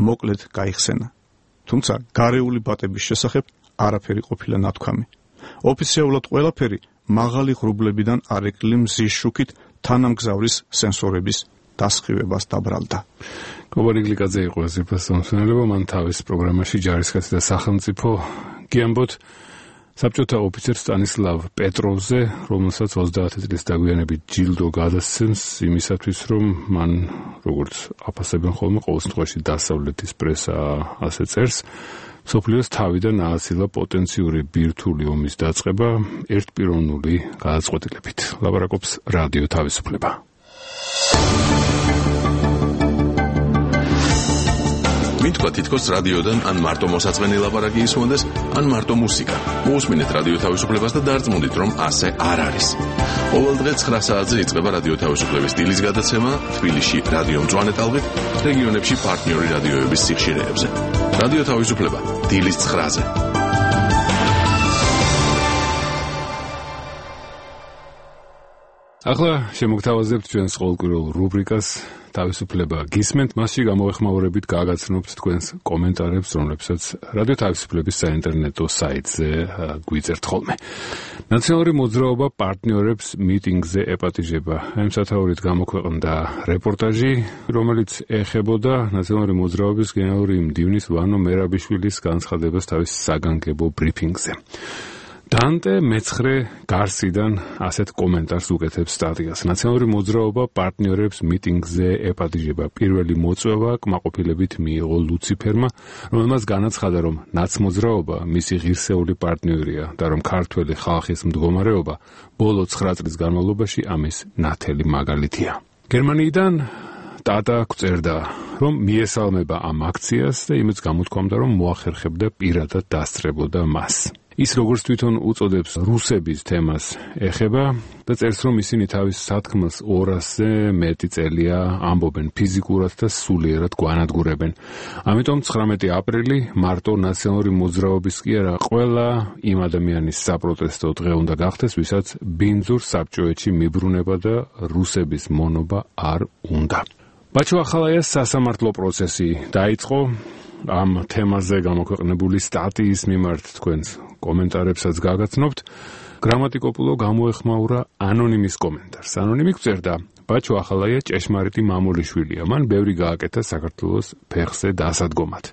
მოკლედ გაიხსენა. თუმცა გარეული ბატების შესახებ არაფერი ყოფილა ნათქვამი. ოფიციალურად ყველაფერი მაღალი ღრუბლებიდან არეკლი მზის შუქით თანამგზავრის სენსორების დასხივებას დაბრალდა. კობარი გლიკაძე იყო ეს ინფორმაციონალობა, მან თავის პროგრამაში ჯარისკაცი და სახელმწიფო გიამბოთ საბჭოთა ოფიცერ სტანისლავ პეტროვზე, რომელსაც ოცდაათი წლის დაგვიანებით ჯილდო გადასცემს იმისათვის, რომ მან, როგორც აფასებენ ხოლმე, ყოველ შემთხვევაში დასავლეთის პრესა ასე წერს, მსოფლიოს თავიდან ააცილა პოტენციური ბირთვული ომის დაწყება ერთპიროვნული გადაწყვეტილებით. ლაპარაკობს რადიო თავისუფლება. მითქვა თითქოს რადიოდან ან მარტო მოსაწყენი ლაპარაკი ისმოდეს, ან მარტო მუსიკა. მოусმინეთ რადიო თავისუფლებას და დარწმუნდით, რომ ასე არ არის. ყოველ დღე ცხრა საათზე იწყება რადიო თავისუფლების დილის გადაცემა თბილისში რადიო მწვანე ტალღით, რეგიონებში პარტნიორი რადიოების სიხშირეებზე. რადიო თავისუფლება დილის ცხრაზე. ახლა შემოგთავაზებთ ჩვენს ყოველკვირეულ რუბრიკას თავისუფლება გისმენთ, მასში გამოეხმაურებით გააგაცნობთ თქვენს კომენტარებს, რომლებსაც რადიო თავისუფლების საინტერნეტო საიტზე გვიწერთ ხოლმე. ნაციონალური მოძრაობა პარტნიორებს მიტინგზე ეპატიჟება. ამ სათაურით გამოქვეყნდა რეპორტაჟი, რომელიც ეხებოდა ნაციონალური მოძრაობის გენერალური მდივნის ვანო მერაბიშვილის განცხადებას თავის საგანგებო ბრიფინგზე. დანტე მეცხრე გარსიდან ასეთ კომენტარს უკეთებს სტატიას. ნაციონალური მოძრაობა პარტნიორებს მიტინგზე ეპატიჟება. პირველი მოწვევა კმაყოფილებით მიიღო ლუციფერმა, რომელმაც განაცხადა, რომ ნაცმოძრაობა მისი ღირსეული პარტნიორია და რომ ქართველი ხალხის მდგომარეობა ბოლო ცხრა წლის განმავლობაში ამის ნათელი მაგალითია. გერმანიიდან ტატა გვწერდა, რომ მიესალმება ამ აქციას და იმეც გამოთქვამდა, რომ მოახერხებდა პირადად დასწრებოდა მას. ის როგორც თვითონ უწოდებს რუსების თემას ეხება და წერს, რომ ისინი თავის სათქმელს ორასზე მეტი წელია ამბობენ ფიზიკურად და სულიერად გვანადგურებენ. ამიტომ ცხრამეტი აპრილი მარტო ნაციონალური მოძრაობის კი არა, ყველა იმ ადამიანის საპროტესტო დღე უნდა გახდეს, ვისაც ბინძურ საბჭოეთში მიბრუნება და რუსების მონობა არ უნდა. ბაჩო ახალაიას სასამართლო პროცესი დაიწყო. ამ თემაზე გამოქვეყნებული სტატიის მიმართ თქვენს კომენტარებსაც გაგაცნობთ. გრამატიკოპულო გამოეხმაურა ანონიმის კომენტარს. ანონიმი გვწერდა, ბაჩო ახალაია ჭეშმარიტი მამულიშვილია. მან ბევრი გააკეთა საქართველოს ფეხზე დასადგომად.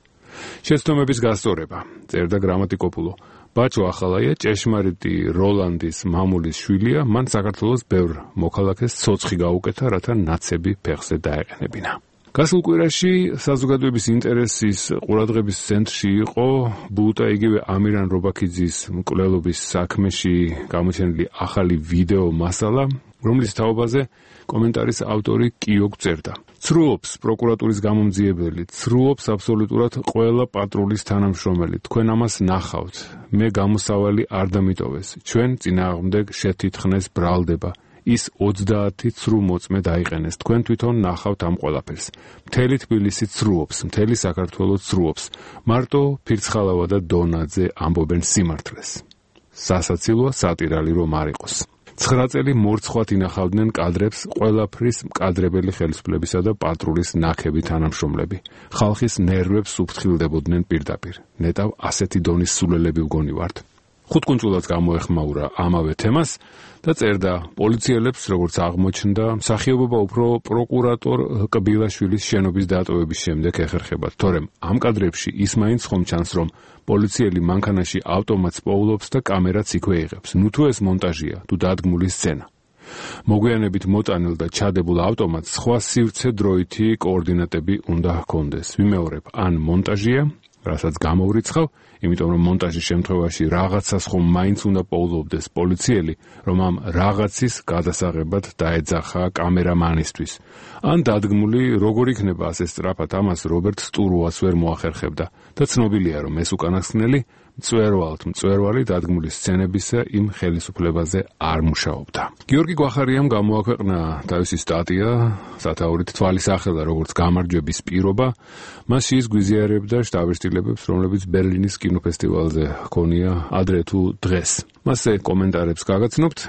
შეცდომების გასწორება, წერდა გრამატიკოპულო. ბაჩო ახალაია ჭეშმარიტი როლანდის მამულის შვილია, მან საქართველოს ბევრ მოქალაქეს ცოცხი გაუკეთა, რათა ნაცები ფეხზე დაეყენებინა. გასულ კვირაში საზოგადოების ინტერესის ყურადღების ცენტრში იყო ბუტა იგივე ამირან რობაქიძის მკვლელობის საქმეში გამოჩენილი ახალი ვიდეო მასალა, რომლის თაობაზე კომენტარის ავტორი კიო წერდა. ცრუობს პროკურატურის გამომძიებელი, ცრუობს აბსოლუტურად ყველა პატრულის თანამშრომელი. თქვენ ამას ნახავთ. მე გამოსავალი არ დამიტოვეს. ჩვენ წინააღმდეგ შეთითხნეს ბრალდება. ის ოცდაათი ცრუ მოწმე დაიყენეს. თქვენ თვითონ ნახავთ ამ ყველაფერს. მთელი თბილისი ცრუობს, მთელი საქართველო ცრუობს. მარტო ფირცხალავა და დონაძე ამბობენ სიმართლეს. სასაცილოა სატირალი რომ არ იყოს. ცხრა წელი მორცხვად ინახავდნენ კადრებს ყველაფრის მკადრებელი ხელისუფლებისა და პატრულის ნაქები თანამშრომლები. ხალხის ნერვებს უფრთხილდებოდნენ პირდაპირ. ნეტავ ასეთი დონის სულელები ვგონი ვართ. ხუთკუნწულად გამოეხმაურა ამავე თემას და წერდა, პოლიციელებს, როგორც აღმოჩნდა, მსახიობობა უფრო პროკურატორ კბილაშვილის შენობის დატოვების შემდეგ ეხერხებათ, თორემ ამ კადრებში ის მაინც ხომ ჩანს, რომ პოლიციელი მანქანაში ავტომატს პოულობს და კამერაც იქვე იღებს. ნუ თუ ეს მონტაჟია, თუ დადგმული სცენა. მოგვიანებით მოტანილ და ჩადებულ ავტომატს სხვა სივრცე დროითი კოორდინატები უნდა ჰქონდეს. ვიმეორებ, ან მონტაჟია, რასაც გამოვრიცხავ, იმიტომ რომ მონტაჟის შემთხვევაში რაღაცას ხომ მაინც უნდა პოულობდეს პოლიციელი, რომ ამ რაღაცის გადასაღებად დაეძახა კამერამანისთვის. ან დადგმული, როგორ იქნება ასე სწრაფად ამას რობერტ სტურუას ვერ მოახერხებდა და ცნობილია, რომ ეს უკანასკნელი მწვერვალთ მწვერვალი დადგმული სცენებისა იმ ხელისუფლებაზე არ მუშაობდა. გიორგი გვახარიამ გამოაქვეყნა თავისი სტატია, სათაურით თვალის ახლა როგორც გამარჯვების პირობა, მასში ის გვიზიარებდა შტაბ-შტილებებს, რომლებიც ბერლინის კინოფესტივალზე ჰქონია ადრე თუ დღეს. მასზე კომენტარებს გაგაცნობთ.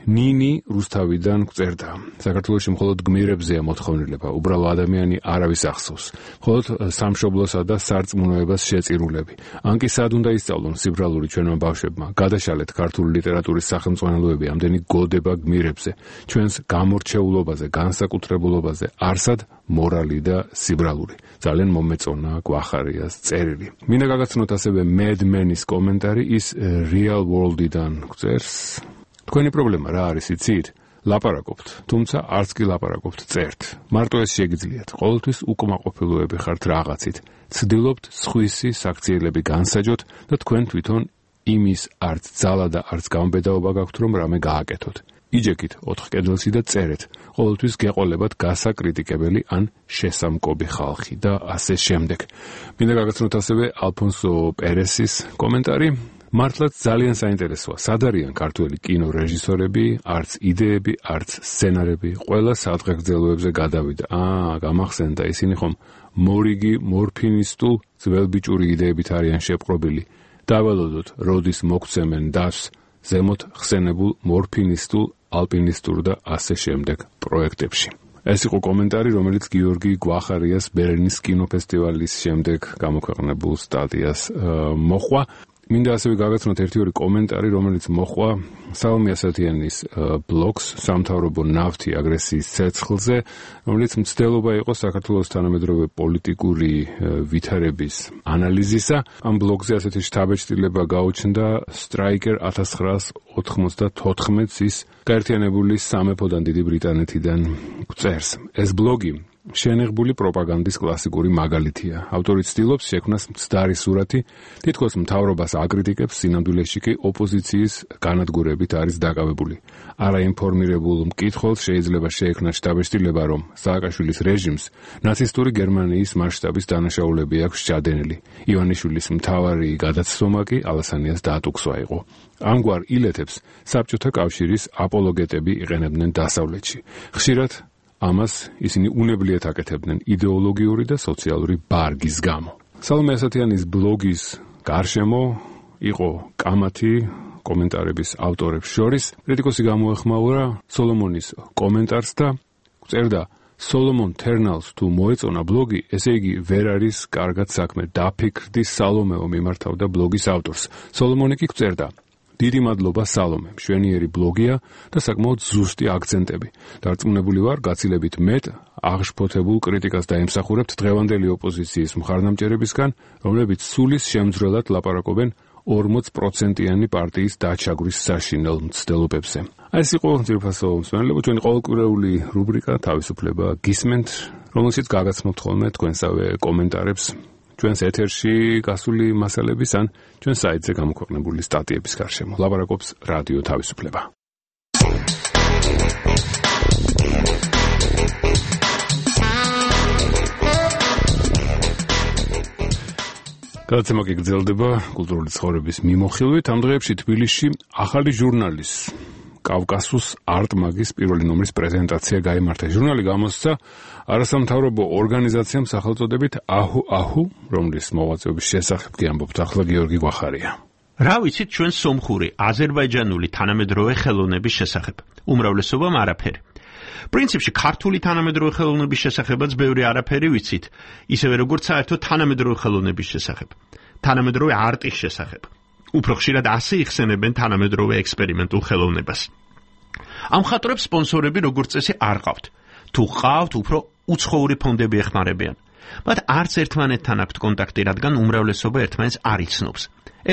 ნინი რუსთავიდან გვწერდა. საქართველოში მხოლოდ გმირებზეა მოთხოვნილება, უბრალო ადამიანი არავის ახსოვს. მხოლოდ სამშობლოსა და სარწმუნოებას შეწირულები. ან კი სად უნდა ისწავლონ სიბრალური ჩვენმა ბავშვებმა. გადაშალეთ ქართული ლიტერატურის სახელმძღვანელოები ამდენი გოდება გმირებზე, ჩვენს გამორჩეულობაზე, განსაკუთრებულობაზე, არსად მორალი და სიბრალური. ძალიან მომეწონა გვახარიას წერილი. მინდა გაგაცნოთ ასევე Mad-Men-ის კომენტარი, ის Real World-იდან გვწერს. თქვენი პრობლემა რა არის იცით? ლაპარაკობთ, თუმცა არც კი ლაპარაკობთ, წერთ. მარტო ეს შეგიძლიათ. ყოველთვის უკმაყოფილოები ხართ რაღაცით. ცდილობთ სხვისი საქციელები განსაჯოთ და თქვენ თვითონ იმის არც ძალა და არც გამბედაობა გაქვთ, რომ რამე გააკეთოთ. იჯექით ოთხ კედელში და წერეთ. ყოველთვის გეყოლებათ გასაკრიტიკებელი ან შესამკობი ხალხი და ასე შემდეგ. მინდა გაგაცნოთ ასევე ალფონსო პერესის კომენტარი. მართლაც ძალიან საინტერესოა, სად არიან ქართველი კინორეჟისორები, არც იდეები, არც სცენარები, ყველა სადღეგრძელოებზე გადავიდა. აა, გამახსენდა, ისინი ხომ მორიგი, მორფინისტულ, ძველბიჭური იდეებით არიან შეპყრობილი. დავალოდოთ, როდის მოგცემენ დას ზემოთ ხსენებულ მორფინისტულ ალპინისტურ და ასე შემდეგ პროექტებში. ეს იყო კომენტარი, რომელიც გიორგი გვახარიას ბერლინის კინოფესტივალის შემდეგ გამოქვეყნებულ სტატიას მოჰყვა. მინდა ასევე გაგაცნოთ ერთი ორი კომენტარი, რომელიც მოჰყვა სალომე ასათიანის ბლოგს სამთავრობო ნავთი აგრესიის ცეცხლზე, რომელიც მცდელობა იყო საქართველოს თანამედროვე პოლიტიკური ვითარების ანალიზისა. ამ ბლოგზე ასეთი შთაბეჭდილება გაუჩნდა სტრაიკერ ათას ცხრაას ოთხმოცდათოთხმეტს ის გაერთიანებული სამეფოდან დიდი ბრიტანეთიდან წერს. ეს ბლოგი შენიღბული პროპაგანდის კლასიკური მაგალითია. ავტორი ცდილობს შექმნას მცდარი სურათი, თითქოს მთავრობას აკრიტიკებს, სინამდვილეში კი ოპოზიციის განადგურებით არის დაკავებული. არაინფორმირებულ მკითხველს შეიძლება შეექმნას შთაბეჭდილება, რომ სააკაშვილის რეჟიმს ნაცისტური გერმანიის მასშტაბის დანაშაულები აქვს სჭადენილი. ივანიშვილის მთავარი გადაცდომა კი ალასანიას დაატუქსვა იყო. ამგვარ ილეთებს საბჭოთა კავშირის აპოლოგეტები იყენებდნენ დასავლეთში. ხშირად ამას ისინი უნებლიეთ აკეთებდნენ იდეოლოგიური და სოციალური ბარგის გამო. სალომე ასათიანის ბლოგის გარშემო იყო კამათი კომენტარების ავტორებს შორის. კრიტიკოსი გამოეხმაურა სოლომონის კომენტარს და წერდა: სოლომონ თერნალს თუ მოეწონა ბლოგი, ესე იგი ვერ არის კარგად საქმე. დაფიქრდი სალომეო მიმართავდა ბლოგის ავტორს. სოლომონი კი წერდა: დიდი მადლობა სალომე, მშვენიერი ბლოგია და საკმაოდ ზუსტი აქცენტები. დარწმუნებული ვარ, გაცილებით მეტ აღშფოთებულ კრიტიკას დაემსახურებთ დღევანდელი ოპოზიციის მხარდამჭერებისგან, რომლებიც სულის შემძვრელად ლაპარაკობენ ორმოც პროცენტიანი პარტიის დაჩაგვის საშინელ მცდელობებზე. ეს იყო ძირფასო მსმენელებო, ჩვენი ყოველკვირეული რუბრიკა თავისუფლება გისმენთ, რომელშიც გაგაცნობთ ხოლმე თქვენსავე კომენტარებს ჩვენს ეთერში გასული მასალების ან ჩვენ საიტზე გამოქვეყნებული სტატიების გარშემო. ლაპარაკობს რადიო თავისუფლება. გადაცემა კი გრძელდება კულტურული ცხოვრების მიმოხილვით. ამ დღეებში თბილისში ახალი ჟურნალის კავკასუს არტ-მაგის პირველი ნომრის პრეზენტაცია გაიმართა. ჟურნალი გამოსცა არასამთავრობო ორგანიზაციამ სახელწოდებით აჰუ აჰუ, რომლის მოღვაწეობის შესახებ კი ამბობთ ახლა გიორგი გვახარია. რა ვიცით ჩვენ სომხური, აზერბაიჯანული თანამედროვე ხელოვნების შესახებ? უმრავლესობამ არაფერი. პრინციპში ქართული თანამედროვე ხელოვნების შესახებაც ბევრი არაფერი ვიცით, ისევე როგორც საერთო თანამედროვე ხელოვნების შესახებ. თანამედროვე არტის შესახებ. უფრო ხშირად ასე იხსენებენ თანამედროვე ექსპერიმენტულ ხელოვნებას. ამ მხატვრებს სპონსორები როგორც წესი არ ყავთ. თუ ყავთ, უფრო უცხოური ფონდები ეხმარებიან. მათ არც ერთმანეთთან აქვთ კონტაქტი, რადგან უმრავლესობა ერთმანეთს არ იცნობს.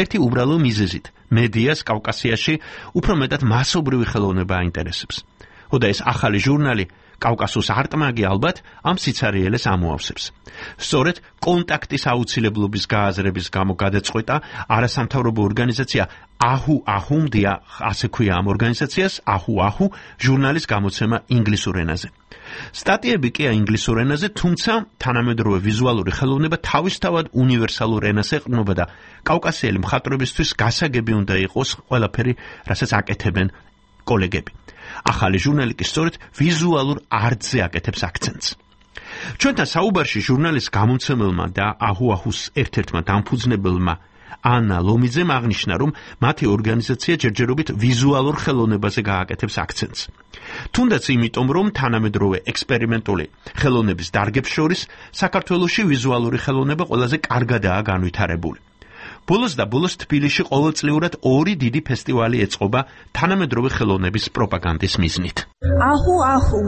ერთი უბრალო მიზეზით, მედიას კავკასიაში უფრო მეტად მასობრივი ხელოვნება აინტერესებს. ხოდა ეს ახალი ჟურნალი კავკასუს არტ-მაგი ალბათ ამ სიცარიელეს ამოავსებს. სწორედ კონტაქტის აუცილებლობის გააზრების გამო გადაწყვეტა არასამთავრობო ორგანიზაცია აჰუ აჰუმდია, ასე ქვია ამ ორგანიზაციას, აჰუ აჰუ ჟურნალის გამოცემა ინგლისურ ენაზე. სტატიები კი ინგლისურ ენაზე, თუმცა თანამედროვე ვიზუალური ხელოვნება თავისთავად უნივერსალურ ენას ეყრდნობა და კავკასიელი მხატვრებისთვის გასაგები უნდა იყოს ყველაფერი, რასაც აკეთებენ კოლეგები. ახალი ჟურნალი კი სწორედ ვიზუალურ არტზე აკეთებს აქცენტს. ჩვენთან საუბარში ჟურნალის გამომცემელმა და აჰუ აჰუს ერთ-ერთმა დამფუძნებელმა ანა ლომიძემ აღნიშნა, რომ მათი ორგანიზაცია ჯერჯერობით ვიზუალურ ხელოვნებაზე გააკეთებს აქცენტს. თუნდაც იმიტომ, რომ თანამედროვე ექსპერიმენტული ხელოვნების დარგებს შორის საქართველოში ვიზუალური ხელოვნება ყველაზე კარგადაა განვითარებული. ბოლოს და ბოლოს თბილისში ყოველწლიურად ორი დიდი ფესტივალი ეწყობა თანამედროვე ხელოვნების პროპაგანდის მიზნით. აჰუ აჰუ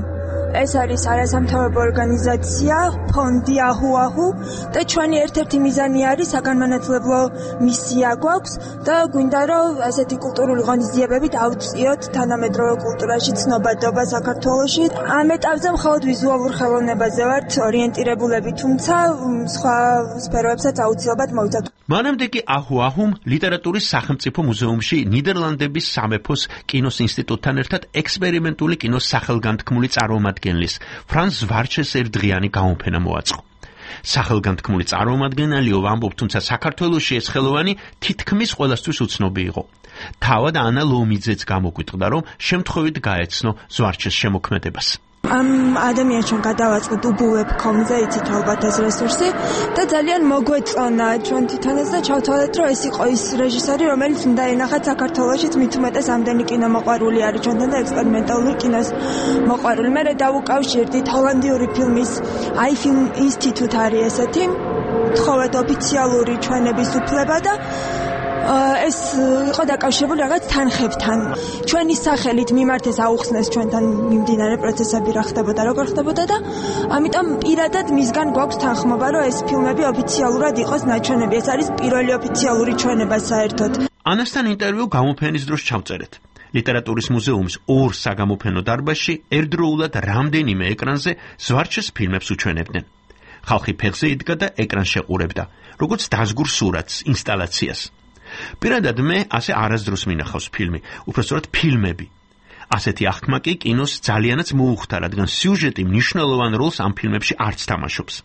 ეს არის არასამთავრობო ორგანიზაცია, ფონდი აჰუ აჰუ და ჩვენი ერთ-ერთი მიზანი არის საგანმანათლებლო მისია გვაქვს და გვინდა რომ ასეთი კულტურული ღონისძიებები დავწიოთ თანამედროვე კულტურაში ცნობადობა საქართველოში. ამ ეტაპზე მხოლოდ ვიზუალურ ხელოვნებაზე ვართ ორიენტირებულები, თუმცა სხვა სფეროებსაც აუცილებლად მოვიცავთ. მანამდე კი აჰუ აჰუმ ლიტერატურის სახელმწიფო მუზეუმში ნიდერლანდების სამეფოს კინოს ინსტიტუტთან ერთად ექსპერიმენტული კინოს სახელგანთქმული წარმომადგენლის ფრანს ვარჩეს ერთდღიანი გამოფენა მოაწყო. სახელგანთქმული წარმომადგენელიო ვამბობ, თუმცა საქართველოში ეს ხელოვანი თითქმის ყველასთვის უცნობი იყო. თავად ანა ლომიძეც გამოგვიტყდა, რომ შემთხვევით გაეცნო ზვარჩეს შემოქმედებას. ამ ადამიანს ჩვენ გადავაწყდით უბუებ კეი კომ-ზე, იცით ალბათ ეს რესურსი და ძალიან მოგვეწონა ჩვენ თვითონაც და ჩავთვალეთ, რომ ეს იყო ის რეჟისორი, რომელიც უნდა ენახათ საქართველოშიც მით უმეტეს ამდენი კინომოყვარული არის ჩვენთან და ექსპერიმენტალური კინოს მოყვარული. მე დავუკავშირდით ჰოლანდიური ფილმის აი ფილმ ინსტიტუტ არის ესეთი, თხოვეთ ოფიციალური ჩვენების უფლება და ეს იყო დაკავშირებული რაღაც თანხებთან. ჩვენი სახელით მიმართეს აუხსნეს ჩვენთან მიმდინარე პროცესები რა ხდებოდა, როგორ ხდებოდა და ამიტომ პირადად მისგან გვაქვს თანხმობა, რომ ეს ფილმები ოფიციალურად იყოს ნაჩვენები. ეს არის პირველი ოფიციალური ჩვენება საერთოდ. ანასთან ინტერვიუ გამოფენის დროს ჩავწერეთ. ლიტერატურის მუზეუმის ორ საგამოფენო დარბაზში ერთდროულად რამდენიმე ეკრანზე ზვარჩეს ფილმებს უჩვენებდნენ. ხალხი ფეხზე იდგა და ეკრანს შეყურებდა, როგორც დაზგურ სურათს, ინსტალაციას. პირადად მე ასე არასდროს მინახავს ფილმი, უпростоრად ფილმები. ასეთი აღქმა კი კინოს ძალიანაც მოუხდა, რადგან სიუჟეტი მნიშვნელოვან როლს ამ ფილმებში არც თამაშობს.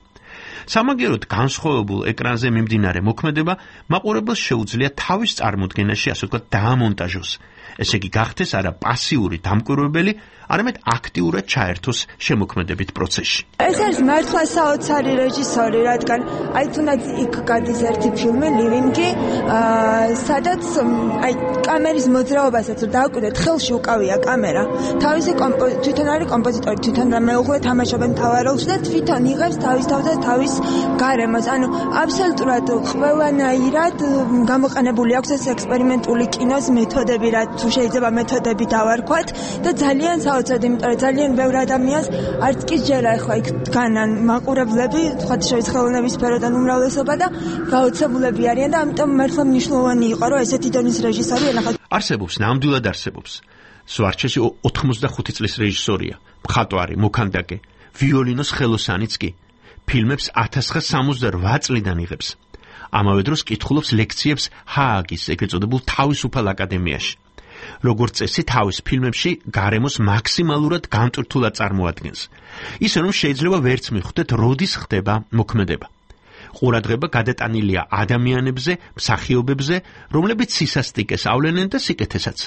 სამაგიეროდ განსხვავებულ ეკრანზე მიმდინარე მოქმედება მაყურებელს შეუძლია თავის წარმოდგენაში, ასე ვთქვათ, დაამონტაჟოს. ესე იგი გახდეს არა პასიური დამკვირვებელი, არამედ აქტიურად ჩაერთოს შემოქმედებით პროცესში. ეს არის მართლა საოცარი რეჟისორი, რადგან აი თუნდაც იქ გადის ერთი ფილმი ლივინგი, სადაც აი კამერის მოძრაობასაც რომ დააკვირდეთ, ხელში უკავია კამერა. თავისი თვითონ არის კომპოზიტორი, თვითონ მეუღლე თამაშობენ მთავარ როლში და თვითონ იღებს თავის თავზე თავის გარემოს. ანუ აბსოლუტურად ყველანაირად გამოყენებული აქვს ეს ექსპერიმენტული კინოს მეთოდები, რაც თუ შეიძლება მეთოდები დავარქვათ და ძალიან საოცრად, იმიტომ რომ ძალიან ბევრ ადამიანს არც კი ჯერა ახლა იქ დგანან მაყურებლები, თქვათ შეიძლება ხელოვნების სფეროდან უმრავლესობა და გაოცებულები არიან და ამიტომ მართლა მნიშვნელოვანი იყო, რომ ესეთი დონის რეჟისორი ენახათ. არსებობს, ნამდვილად არსებობს. ზვარჩესი ოთხმოცდახუთი წლის რეჟისორია, მხატვარი, მოქანდაკე, ვიოლინოს ხელოსანიც კი. ფილმებს ათას ცხრაასა სამოცდარვა წლიდან იღებს. ამავე დროს კითხულობს ლექციებს ჰააგის ეგრეთ წოდებულ თავისუფალ აკადემიაში. როგორც წესი თავის ფილმებში გარემოს მაქსიმალურად განტვირთულად წარმოადგენს. ისე რომ შეიძლება ვერც მიხვდეთ, როდის ხდება მოქმედება. ყურადღება გადატანილია ადამიანებზე, მსახიობებზე, რომლებიც სისასტიკეს ავლენენ და სიკეთესაც.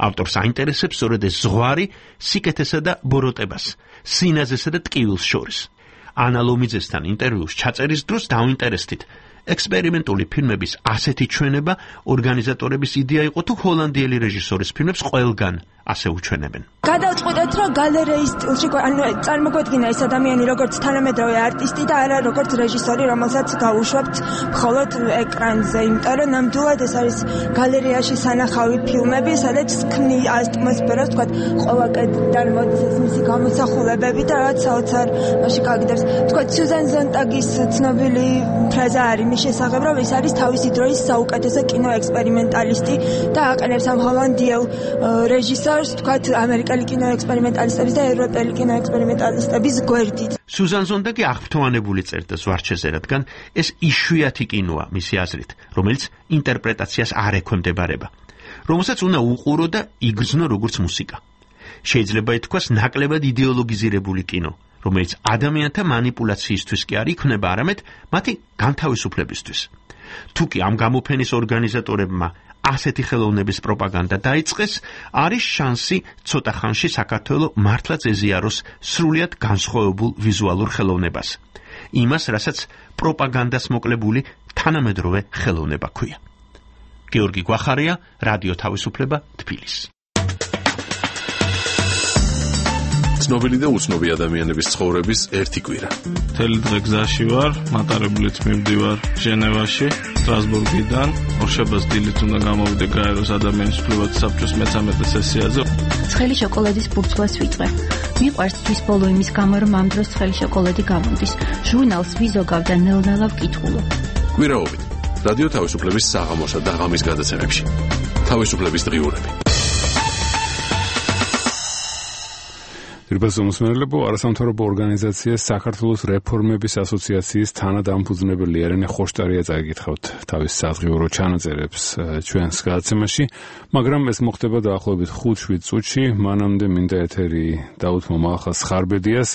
ავტორს აინტერესებს სწორედ ეს ზღვარი სიკეთესა და ბოროტებას, სინაზესა და ტკივილს შორის. ანა ლომიძესთან ინტერვიუს ჩაწერის დროს დავინტერესდით. ექსპერიმენტული ფილმების ასეთი ჩვენება ორგანიზატორების იდეა იყო თუ ჰოლანდიელი რეჟისორის ფილმებს ყველგან ასე უჩვენებენ. გადავწყვეტეთ, რომ გალერეის სტილში, ანუ წარმოგვედგინა ეს ადამიანი როგორც თანამედროვე არტისტი და არა როგორც რეჟისორი, რომელსაც გავუშვებთ მხოლოდ ეკრანზე, იმიტომ რომ ნამდვილად ეს არის გალერეაში სანახავი ფილმები, სადაც ქმნი ატმოსფეროს, თქვათ, ყველა კედლიდან მოდის ეს მისი გამოსახულებები და რაც საოცარ მაშინ გაგიდებს. თქვათ, სუზან ზონტაგის ცნობილი ფრაზა არის მის შესახებ, რომ ის არის თავისი დროის საუკეთესო კინოექსპერიმენტალისტი და აყენებს ამ ჰოლანდიელ რეჟისორს, თქვათ, ამერიკელი კინოექსპერიმენტალისტების და ევროპელი კინოექსპერიმენტალისტების გვერდით. სუზან ზონტაგი აღფრთოვანებული წერდა ზვარჩეზე, რადგან ეს იშვიათი კინოა მისი აზრით, რომელიც ინტერპრეტაციას არ ექვემდებარება, რომელსაც უნდა უყურო და იგრძნო როგორც მუსიკა. შეიძლება ითქვას ნაკლებად იდეოლოგიზირებული კინო, რომელიც ადამიანთა манипуляციისთვის კი არ იქნება, არამედ მათი განთავისუფლებისთვის. თუკი ამ გამოფენის ორგანიზატორებმა ასეთი ხელოვნების პროპაგანდა დაიწყეს, არის შანსი ცოტა ხანში საქართველო მართლაც ეზიაროს სრულიად განსხვავებულ ვიზუალურ ხელოვნებას. იმას, რასაც პროპაგანდას მოკლებული თანამედროვე ხელოვნება ქვია. გეორგი გვახარია, რადიო თავისუფლება, თბილისი. ცნობილი და უცნობი ადამიანების ცხოვრების ერთი კვირა. მთელი დღე გზაში ვარ, მატარებლით მივდივარ ჟენევაში, სტრასბურგიდან, ორშაბათს დილით უნდა გამოვიდე გაეროს ადამიანის უფლებათა საბჭოს მეთორმეტე სესიაზე. ცხელი შოკოლადის ბურცვლას ვიწყებ. მიყვარს თვის ბოლო იმის გამო, რომ ამ დროს ცხელი შოკოლადი გამოდის. ჟურნალს ვიზოგავ და ნელ-ნელა ვკითხულობ. კვირაობით რადიო თავისუფლების საღამოსა და ღამის გადაცემებში. თავისუფლების დღიურები. Dirbați უმსმენელებო, არასამთავრობო ორგანიზაცია საქართველოს რეფორმების ასოციაციის თანადამფუძნებელი ერენე ხოშტარია წაიკითხავთ თავის საზღიურო ჩანაწერებს ჩვენს გადაცემაში, მაგრამ ეს მოხდება დაახლოებით ხუთ-შვიდ წუთში, მანამდე მინდა ეთერი დაუთმო მალხას ხარბედიას.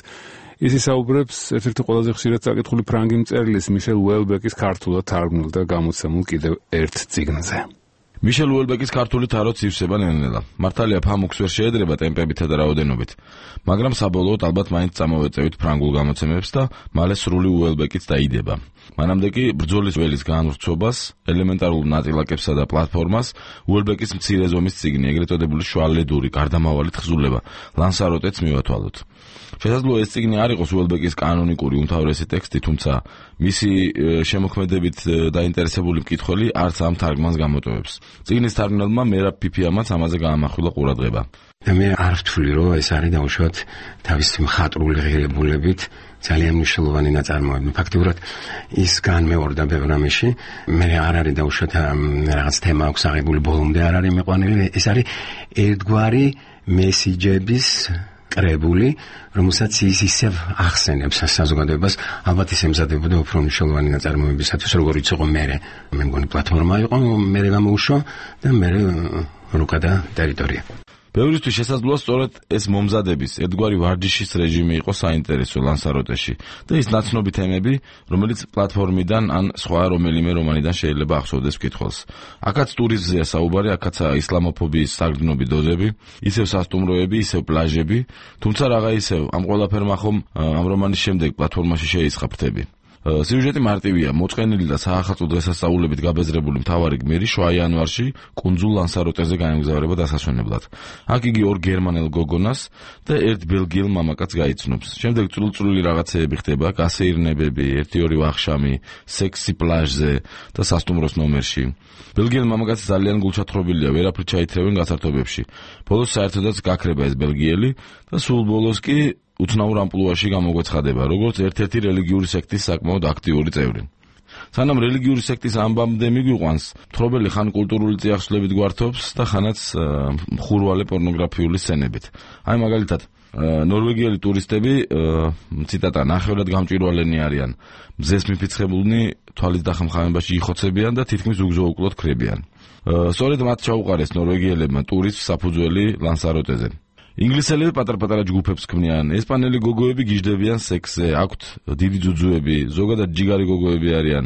ის ისაუბრებს ერთ-ერთი ყველაზე ხშირად წაკითხული ფრანგი მწერლის მიშელ უელბეკის ქართულად თარგმნილ და გამოცემულ კიდევ ერთ წიგნზე. მიშელ უელბეკის ქართული თაროც ივსება ნელ-ნელა. მართალია ფამუქს ვერ შეედრება ტემპებითა და რაოდენობით, მაგრამ საბოლოოდ ალბათ მაინც წამოვეწევით ფრანგულ გამოცემებს და მალე სრული უელბეკიც დაიდება. მანამდე კი ბრძოლის ველის განვრცობას, ელემენტარულ ნაწილაკებსა და პლატფორმას უელბეკის მცირე ზომის წიგნი, ეგრეთ წოდებული შუალედური გარდამავალი თხზულება ლანსაროტეც მივათვალოთ. შესაძლოა ეს წიგნი არ იყოს უელბეკის კანონიკური უმთავრესი ტექსტი, თუმცა მისი შემოქმედებით დაინტერესებული მკითხველი არც ამ თარგმანს გამოტოვებს. წიგნის თარგმნელმა მერაბ ფიფიამაც ამაზე გაამახვილა ყურადღება. მე არ ვთვლი, რომ ეს არის დაუშვათ თავისი მხატვრული ღირებულებით ძალიან მნიშვნელოვანი ნაწარმოები. ფაქტიურად ის განმეორდა ბევრ რამეში. მე არ არის დაუშვათ რაღაც თემა აქვს აღებული, ბოლომდე არ არის მიყვანილი. ეს არის ერთგვარი მესიჯების კრებული, რომელსაც ის ისევ ახსენებს საზოგადოებას, ალბათ ის ემზადებოდა უფრო მნიშვნელოვანი ნაწარმოებისათვის, როგორიც იყო მე. მე მგონი პლატფორმა იყო, მე გამოუშვა და მე რუკა და ტერიტორია. ბევრისთვის შესაძლოა სწორედ ეს მომზადების ერთგვარი ვარჯიშის რეჟიმი იყო საინტერესო ლანსაროტეში და ის ნაცნობი თემები, რომელიც პლატფორმიდან ან სხვა რომელიმე რომანიდან შეიძლება ახსოვდეს მკითხველს. აქაც ტურიზმზეა საუბარი, აქაცაა ისლამოფობიის საგრძნობი დოზები, ისევ სასტუმროები, ისევ პლაჟები, თუმცა რაღა ისევ ამ ყველაფერმა ხომ ამ რომანის შემდეგ პლატფორმაში შეისხა ფრთები. სიუჟეტი მარტივია, მოწყენილი და საახალწლო დღესასწაულებით გაბეზრებული მთავარი გმირი შუა იანვარში კუნძულ ლანსაროტეზე გაემგზავრება დასასვენებლად. აქ იგი ორ გერმანელ გოგონას და ერთ ბელგიელ მამაკაცს გაიცნობს. შემდეგ წვრილ-წვრილი რაღაცეები ხდება, გასეირნებები, ერთი-ორი ვახშამი, სექსი პლაჟზე და სასტუმროს ნომერში. ბელგიელ მამაკაცს ძალიან გულჩათრობილია, ვერაფრით ჩაითრევენ გასართობებში. ბოლოს საერთოდაც გაქრება ეს ბელგიელი და სულ ბოლოს კი უცნაურ ამპლუაში გამოგვეცხადება, როგორც ერთ-ერთი რელიგიური სექტის საკმაოდ აქტიური წევრი. სანამ რელიგიური სექტის ამბამდე მიგვიყვანს, მთხრობელი ხან კულტურული წიაღსვლებით გვართობს და ხანაც მხურვალე პორნოგრაფიული სცენებით. აი მაგალითად, ნორვეგიელი ტურისტები, ციტატა, ნახევრად გამჭვირვალენი არიან, მზეს მიფიცხებულნი თვალის დახმხამებაში იხოცებიან და თითქმის უგზო-უკლოდ ქრებიან. სწორედ მათ ჩაუყარეს ნორვეგიელებმა ტურისტს საფუძველი ლანსაროტეზე. ინგლისელები პატარ-პატარა ჯგუფებს ქმნიან, ესპანელი გოგოები გიждდებიან სექსზე, აქვთ დიდი ძუძუები, ზოგადად ჯიგარი გოგოები არიან.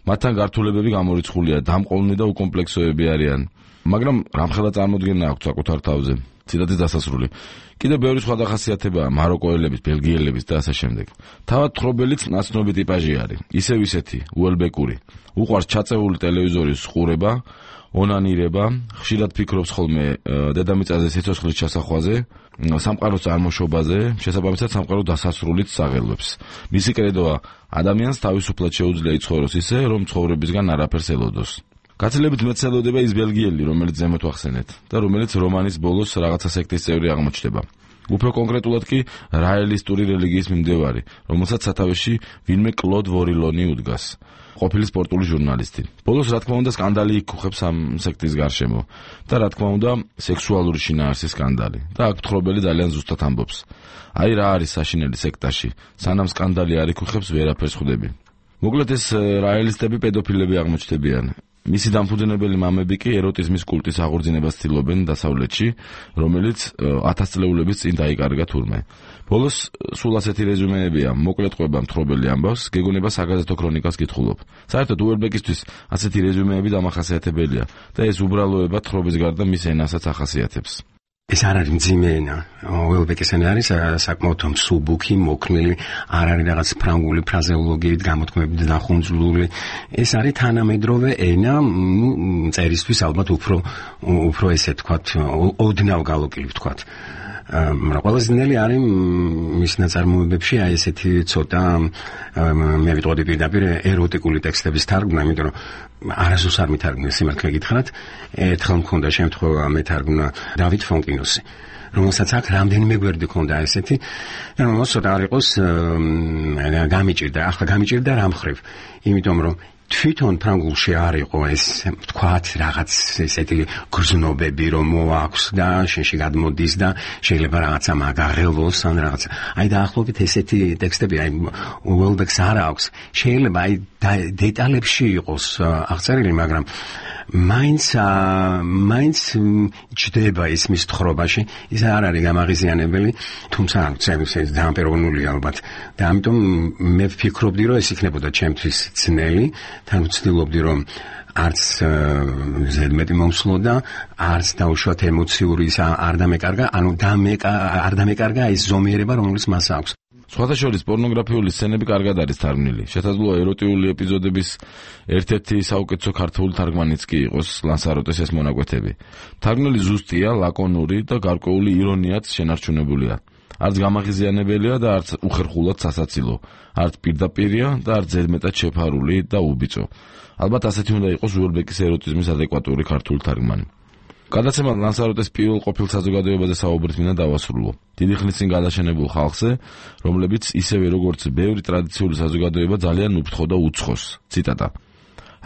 მათთან გართულებები გამორიცხულია, დამყოლნი და უკომპლექსოები არიან. მაგრამ რამხელა წარმოდგენა აქვთ საკუთარ თავზე. ციტატის დასასრული. კიდევ ბევრი სხვა დახასიათებაა მაროკოელების, ბელგიელების და ასე შემდეგ. თავად თხრობელიც ნაცნობი ტიპაჟი არის, ისევ ისეთი, უელბეკური. უყვარს ჩაწეული ტელევიზორის ყურება, ონანირება, ხშირად ფიქრობს ხოლმე დედამიწაზე სიცოცხლის ჩასახვაზე, სამყაროს წარმოშობაზე, შესაბამისად სამყარო დასასრულით საღელვებს. მისი კრედოა ადამიანს თავისუფლად შეუძლია იცხოვროს ისე, რომ ცხოვრებისგან არაფერს ელოდოს. გაცილებით მეც ელოდება ის ბელგიელი, რომელიც ზემოთ ვახსენეთ და რომელიც რომანის ბოლოს რაღაცა სექტის წევრი აღმოჩნდება. უფრო კონკრეტულად კი რაელისტური რელიგიის მიმდევარი, რომელსაც სათავეში ვინმე კლოდ ვორილონი უდგას. ყოფილი სპორტული ჟურნალისტი. ბოლოს რა თქმა უნდა სკანდალი იქუხებს ამ სექტის გარშემო და რა თქმა უნდა სექსუალური შინაარსის სკანდალი. და აქ მთხრობელი ძალიან ზუსტად ამბობს. აი რა არის საშინელი სექტაში, სანამ სკანდალი არ იქუხებს ვერაფერს ხვდები. მოკლედ ეს რაელისტები პედოფილები აღმოჩნდებიან. მისი დამფუძნებელი მამები კი ეროტიზმის კულტის აღორძინებას ცდილობენ დასავლეთში, რომელიც ათასწლეულების წინ დაიკარგა თურმე. ბოლოს სულ ასეთი რეზუმეებია, მოკლედ ყვება მთხრობელი ამბავს, გეგონება საგაზეთო ქრონიკას კითხულობ. საერთოდ უელბეკისთვის ასეთი რეზუმეები დამახასიათებელია და ეს უბრალოება თხრობის გარდა მის ენასაც ახასიათებს. ეს არ არის მძიმე ენა. უელბეკის ენა არის საკმაოდ მსუბუქი, მოქნილი, არ არის რაღაც ფრანგული ფრაზეოლოგიით გამოთქმებით დახუნძლული. ეს არის თანამედროვე ენა, ნუ წერისთვის ალბათ უფრო უფრო ესე თქვათ, ოდნავ გალოკილი თქვათ. მაგრამ ყველაზე ძნელი არის მის ნაწარმოებებში აი ესეთი ცოტა მე ვიტყოდი პირდაპირ ეროტიკული ტექსტების თარგმნა, იმიტომ რომ არასდროს არ მითარგმნა სიმართლე გითხრათ. ერთხელ მქონდა შემთხვევა მეთარგმნა დავით ფონკინოსი, რომელსაც აქ რამდენიმე გვერდი ჰქონდა ესეთი, რომელსაც ცოტა არ იყოს გამიჭირდა, ახლა გამიჭირდა რა მხრივ, იმიტომ რომ თვითონ ფრანგულში არ იყო ეს თქვათ რაღაც ესეთი გრძნობები რომ მოაქვს და შენში გადმოდის და შეიძლება რაღაცა მაგაღელოს ან რაღაცა. აი დაახლოებით ესეთი ტექსტები აი უელბეკს არ აქვს. შეიძლება აი დეტალებში იყოს აღწერილი, მაგრამ მაინც მაინც ჯდება ის მის თხრობაში, ის არ არის გამაღიზიანებელი, თუმცა ეს დამპეროვნული ალბათ და ამიტომ მე ვფიქრობდი რომ ეს იქნებოდა ჩემთვის ძნელი თან ვცდილობდი რომ არც ზედმეტი მომსვლოდა, არც დაუშვათ ემოციური არ დამეკარგა, ანუ არ დამეკარგა ის ზომიერება, რომელიც მას აქვს. სხვათა შორის პორნოგრაფიული სცენები კარგად არის თარგმნილი. შესაძლოა ეროტიული ეპიზოდების ერთ-ერთი საუკეთესო ქართული თარგმანიც კი იყოს ლანსაროტეს ეს მონაკვეთები. თარგმნილი ზუსტია, ლაკონური და გარკვეული ირონიაც შენარჩუნებულია. არც გამაღიზიანებელია და არც უხერხულად სასაცილო, არც პირდაპირია და არც ზედმეტად შეფარული და უბიწო. ალბათ ასეთი უნდა იყოს უელბეკის ეროტიზმის ადეკვატური ქართული თარგმანი. გადაცემა ლანსაროტეს პირველ ყოფილ საზოგადოებაზე საუბრით მინდა დავასრულო. დიდი ხნის წინ გადაშენებულ ხალხზე, რომლებიც ისევე როგორც ბევრი ტრადიციული საზოგადოება ძალიან უფრთხო და უცხოს. ციტატა.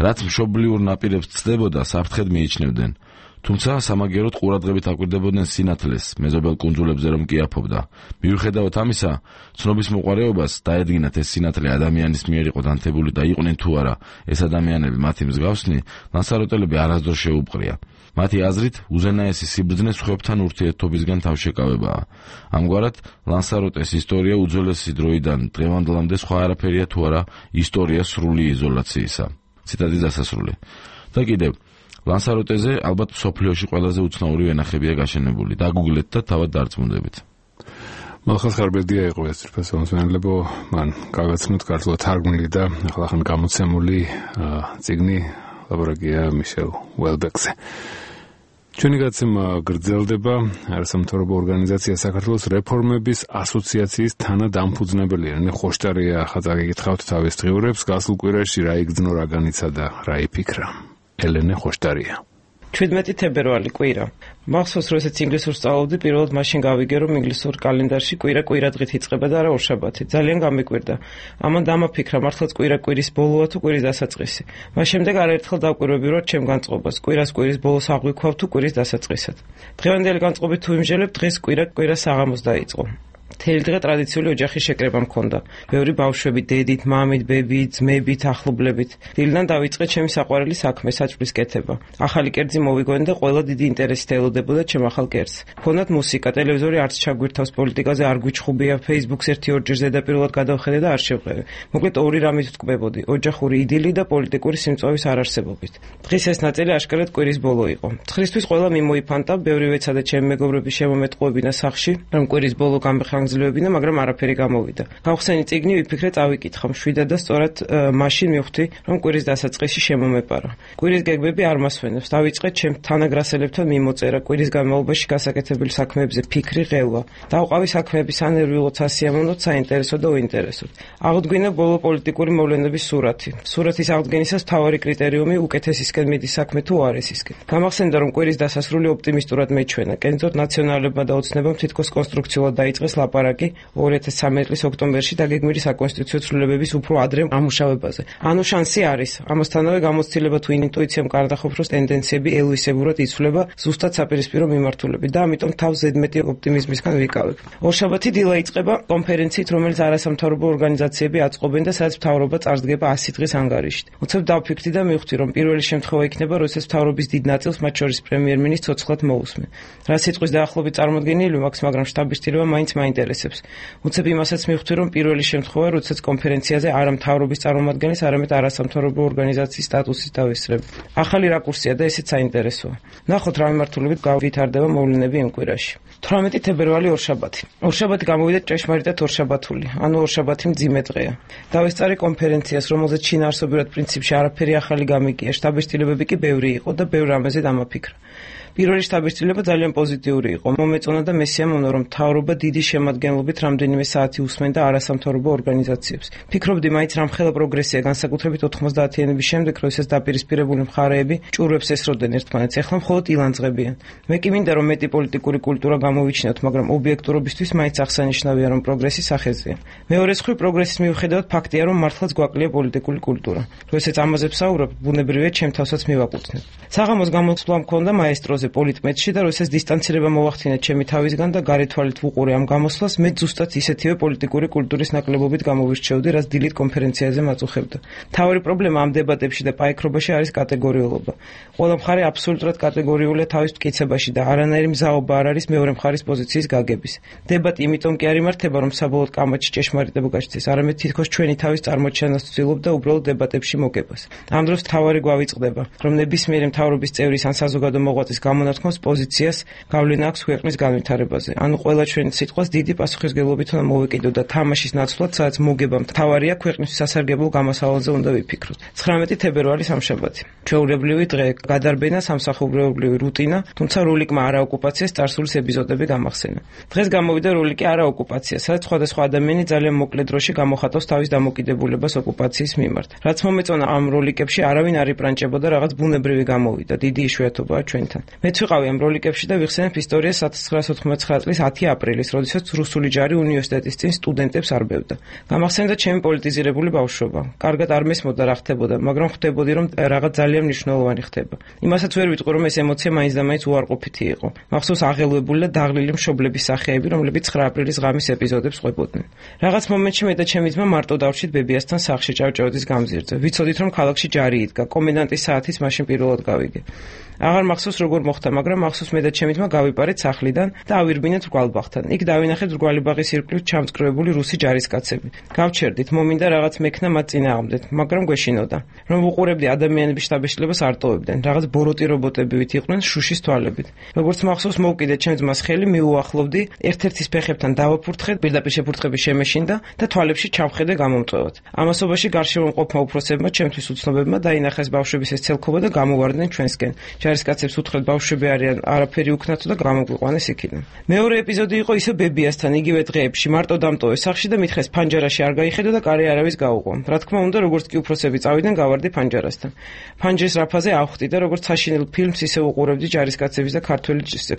რაც მშობლიურ ნაპირებს ცდებოდა, საფრთხედ მიიჩნევდნენ. თუმცა სამაგეროდ ყურადღებით აკვირდებოდნენ სინათლეს, მეზობელ კუნძულებზე რომ კი აფობდა. მიუხედავად ამისა, ცნობის მოყვარეობას დაედგინათ ეს სინათლე ადამიანის მიერ იყო დანთებული და იყვნენ თუ არა ეს ადამიანები მათი მსგავსნი, ლანსაროტელები არასდროს შეუპყრია. მათი აზრით, უზენაესი სიბრძნე სხვებთან ურთიერთობისგან თავშეკავებაა. ამგვარად, ლანსაროტეს ისტორია უძველესი დროიდან დღევანდლამდე სხვა არაფერია თუ არა ისტორია სრული იზოლაციისა. ციტატის დასასრული. და კიდევ ლანსაროტეზე ალბათ სოფლიოში ყველაზე უცნაური ვენახებია გაშენებული. დაგუგლეთ და თავად დარწმუნდებით. მალხაზ ხარბედია იყო ეს პროფესიონალებო, მან გაგაცნოთ ქართულად თარგმნილი და ახლა გამოცემული წიგნი ლაბორატორია მიშელ უელბეკზე. ჩვენი გადაცემა გრძელდება. არასამთავრობო ორგანიზაცია საქართველოს რეფორმების ასოციაციის თანადამფუძნებელი ელენე ხოშტარია ხაზა გეკითხავთ თავის დღიურებს, გასულ კვირაში რა იგრძნო, რა განიცა და რა იფიქრა. ელენე ხოშტარია. ჩვიდმეტი თებერვალი კვირა. მახსოვს, როდესაც ინგლისურს სწავლობდი, პირველად მაშინ გავიგე, რომ ინგლისურ კალენდარში კვირა კვირა დღით იწყება და არა ორშაბათი. ძალიან გამიკვირდა. ამან დამაფიქრა, მართლაც კვირა კვირის ბოლოა თუ კვირის დასაწყისი. მას შემდეგ არაერთხელ დავკვირვები ვარ ჩემ განწყობას. კვირას კვირის ბოლოს აღვიქვავ თუ კვირის დასაწყისად. დღევანდელი განწყობით თუ იმჟელებ, დღეს კვირა კვირა საღამოს დაიწყო. მთელი დღე ტრადიციული ოჯახის შეკრება მქონდა. ბევრი ბავშვები, დედით, მამით, ბებით, ძმებით, ახლობლებით. დილიდან დავიწყე ჩემი საყვარელი საქმე, საჭმლის კეთება. ახალი კერძი მოვიგონე და ყველა დიდი ინტერესით ელოდებოდა ჩემ ახალ კერძს. მქონდათ მუსიკა, ტელევიზორი არც ჩაგვირთავს, პოლიტიკაზე არ გვიჩხუბია, Facebook-ს ერთი ორჯერ ზედაპირულად გადავხედე და არ შევყევი. მოკლედ ორი რამით ვტკბებოდი: ოჯახური იდილი და პოლიტიკური სიმწვავის არარსებობით. დღის ეს ნაწილი აშკარად კვირის ბოლო იყო. ცხრისთვის ყველა მიმოიფანტა, ბევრი ვეცადა ჩემი მეგობრების შემომეტყუებინა სახში, რომ კვირის ბოლო გამხანგრძლივებინა, მაგრამ არაფერი გამოვიდა. გავხსენი წიგნი, ვიფიქრე წავიკითხა, მშვიდად და სწორად მაშინ მივხვდი, რომ კვირის დასაწყისი შემომეპარა. კვირის გეგმები არ მასვენებს. დავიწყე ჩემ თანაგრასელებთან მიმოწერა, კვირის განმავლობაში გასაკეთებელ საქმეებზე ფიქრი, ღელვა. დავყავი საქმეების ანერვიულოთ, სასიამოვნოთ, საინტერესო და უინტერესოდ. აღდგინა ბოლო პოლიტიკური მოვლენების სურათი. სურათის აღდგენისას მთავარი კრიტერიუმი უკეთესისკენ მიდის საქმე თუ არესისკენ. გამახსენდა, რომ კვირის დასასრული ოპტიმისტურად მეჩვენა. კერძოდ ნაციონალებმა და ოცნებამ თითქოს კონსტრუქციულად დაიწყეს ლაპარაკი ორი ათას ცხრამეტი წლის ოქტომბერში დაგეგმილი საკონსტიტუციო ცვლილებების უფრო ადრე ამუშავებაზე. ანუ შანსი არის. ამასთანავე გამოცდილება თუ ინტუიციამ კარდახოფროს ტენდენციები ელვისებურად იცვლება ზუსტად საპირისპირო მიმართულებით და ამიტომ თავს ზედმეტი ოპტიმიზმისგან ვიკავებ. ორშაბათი დილა იწყება კონფერენციით, რომელიც არასამთავრობო ორგანიზაციები აწყობენ და სადაც მთავრობა წარსდგება ასი დღის ანგარიშით. უცებ დავფიქრდი და მივხვდი, რომ პირველი შემთხვევა იქნება, როდესაც მთავრობის დიდ ნაწილს, მათ შორის პრემიერ-მინისტრს ცოცხლად მოусმენ. რა სიტყვის დაახლოებით წარმოდგენილი მაქვს, მაგრამ შტაბის ტირება მაინც მაინტერესებს. უცებ იმასაც მივხვდი, რომ პირველი შემთხვევა, როდესაც კონფერენციაზე არა მთავრობის წარმომადგენლის, არამედ არასამთავრობო ორგანიზაციის სტატუსის დავესწრებ. ახალი რაკურსია და ესეც საინტერესოა. ნახოთ რა მიმართულებით გავითარდება მოვლენები იმ კვირაში. თვრამეტი თებერვალი ორშაბათი. ორშაბათი გამოვიდა ჭეშმარიტად ორშაბათული, ანუ ორშაბათი მძიმე დღეა. დავესწარი კონფერენციას, რომელზეც შინაარსობრივად პრინციპში არაფერი ახალი გამიგია, შტაბის ცვლილებები კი ბევრი იყო და ბევრ რამეზე დამაფიქრა. პირველი შტაბის ცვლილება ძალიან პოზიტიური იყო. მომეწონა და მესიამოვნო, რომ მთავრობა დიდი შემადგენლობით რამდენიმე საათი უსმენდა არასამთავრობო ორგანიზაციებს. ფიქრობდი, მაინც რამხელა პროგრესია, განსაკუთრებით ოთხმოცდაათიანების შემდეგ, როდესაც დაპირისპირებული მხარეები ჭურვებს ესროდნენ ერთმანეთს, ეხლა მხოლოდ ილანძღებიან. მე კი მინდა, რომ მეტი პოლიტიკური კულტურა გამოვიჩინოთ, მაგრამ ობიექტურობისთვის მაინც აღსანიშნავია, რომ პროგრესი სახეზეა. მეორე მხრივ, პროგრესის მიუხედავად ფაქტია, რომ მართლაც გვაკლია პოლიტიკური კულტურა. როდესაც ამაზე ვსაუბრობ, ბუნებრივია ჩემ თავსაც მივაკუთვნებ. საღამოს გამოსვლა მქონდა მაესტროზე ვიყავზე პოლიტმეტში და როდესაც დისტანცირება მოვახდინე ჩემი თავისგან და გარეთვალით ვუყურე ამ გამოსვლას, მე ზუსტად ისეთივე პოლიტიკური კულტურის ნაკლებობით გამოვირჩეოდი, რაც დილით კონფერენციაზე მაწუხებდა. მთავარი პრობლემა ამ დებატებში და პაიქრობაში არის კატეგორიულობა. ყველა მხარე აბსოლუტურად კატეგორიულია თავის მტკიცებაში და არანაირი მზაობა არ არის მეორე მხარის პოზიციის გაგების. დებატი იმიტომ კი არ იმართება, რომ საბოლოოდ კამათში ჭეშმარიტება გაჩნდეს, არამედ თითქოს ჩვენი თავის წარმოჩენას ვცდილობ და უბრალოდ დებატებში მოგებას. ამ დროს თავარი გვავიწყდება, რომ ნებისმიერი მთავრობის წევრის ან საზოგადო მოღვაწის გამონათქმოს პოზიციას გავლენა აქვს ქვეყნის განვითარებაზე. ანუ ყველა ჩვენი სიტყვას დიდი პასუხისმგებლობით უნდა მოვეკიდოთ და თამაშის ნაცვლად, სადაც მოგება მთავარია, ქვეყნისთვის სასარგებლო გამოსავალზე უნდა ვიფიქროთ. ცხრამეტი თებერვალი სამშაბათი. ჩვეულებრივი დღე, გადარბენა, სამსახურებრივი რუტინა, თუმცა როლიკმა არაოკუპაციას წარსულის ეპიზოდები გამახსენა. დღეს გამოვიდა როლიკი არაოკუპაცია, სადაც სხვადასხვა ადამიანი ძალიან მოკლე დროში გამოხატავს თავის დამოკიდებულებას ოკუპაციის მიმართ. რაც მომეწონა ამ როლიკებში არავინ არ იპრანჭებოდა, რაღაც ბუნებრივი გამოვიდა, დიდი იშვიათობაა ჩვენთან. მეც ვიყავი ამ როლიკებში და ვიხსენებ ისტორიას千九百ოთხმოცდათხმეტ წლის ათი აპრილის, როდესაც რუსული ჯარი უნივერსიტეტის წინ სტუდენტებს არბევდა. გამახსენდა ჩემი პოლიტიზირებული ბავშვობა. კარგად არ მესმოდა რა ხდებოდა, მაგრამ ხვდებოდი რომ რაღაც ძალიან მნიშვნელოვანი ხდება. იმასაც ვერ ვიტყვი რომ ეს ემოცია მაინც და მაინც უარყოფითი იყო. მახსოვს აღელვებული და დაღლილი მშობლების სახეები, რომლებიც ცხრა აპრილის ღამის ეპიზოდებს ყვებოდნენ. რაღაც მომენტში მე და ჩემი ძმა მარტო დავჭით ბებიასთან სახლში ჭავჭავაძის გამზირზე. ვიცოდით რომ ქალაქში ჯარი იდგა, კომენდანტის საათის მაშინ პირველად გავიგე. აღარ მახსოვს როგორ მოხდა, მაგრამ მახსოვს მე და ჩემი ძმა გავიპარეთ სახლიდან და ავირბინეთ რგვალბაღთან. იქ დავინახეთ რგვალიბაღის ირგვლივ ჩამწკრივებული რუსი ჯარისკაცები. გავჩერდით, მომინდა რაღაც მექნა მათ წინააღმდეთ, მაგრამ გვეშინოდა. რომ ვუყურებდი ადამიანების შთაბეჭდილებას არ ტოვებდნენ. რაღაც ბოროტი რობოტებივით იყვნენ შუშის თვალებით. როგორც მახსოვს, მოვკიდე ჩემ ძმას ხელი, მიუახლოვდი, ერთ-ერთის ფეხებთან დავაფურთხე, პირდაპირ შეფურთხები შემეშინდა და თვალებში ჩამხედე გამომწვევად. ამასობაში გარშემო მყოფმა უფროსებმა, ჩემთვის უცნობებმა დაინახეს ბავშვების ეს ცელქობა და გამოვარდნენ ჩვენსკენ. ჯარისკაცებს უთხრეთ ბავშვები არიან, არაფერი უქნათო და გამოგვიყვანეს იქიდან. მეორე ეპიზოდი იყო ისე ბებიასთან, იგივე დღეებში, მარტო დამტოვე სახლში და მითხეს ფანჯარაში არ გაიხედო და კარი არავის გაუყო. რა თქმა უნდა, როგორც კი უფროსები წავიდნენ, გავარდი ფანჯარასთან. ფანჯრის რაფაზე ავხდი და როგორც საშინელ ფილმს ისე უყურებდი ჯარისკაცების და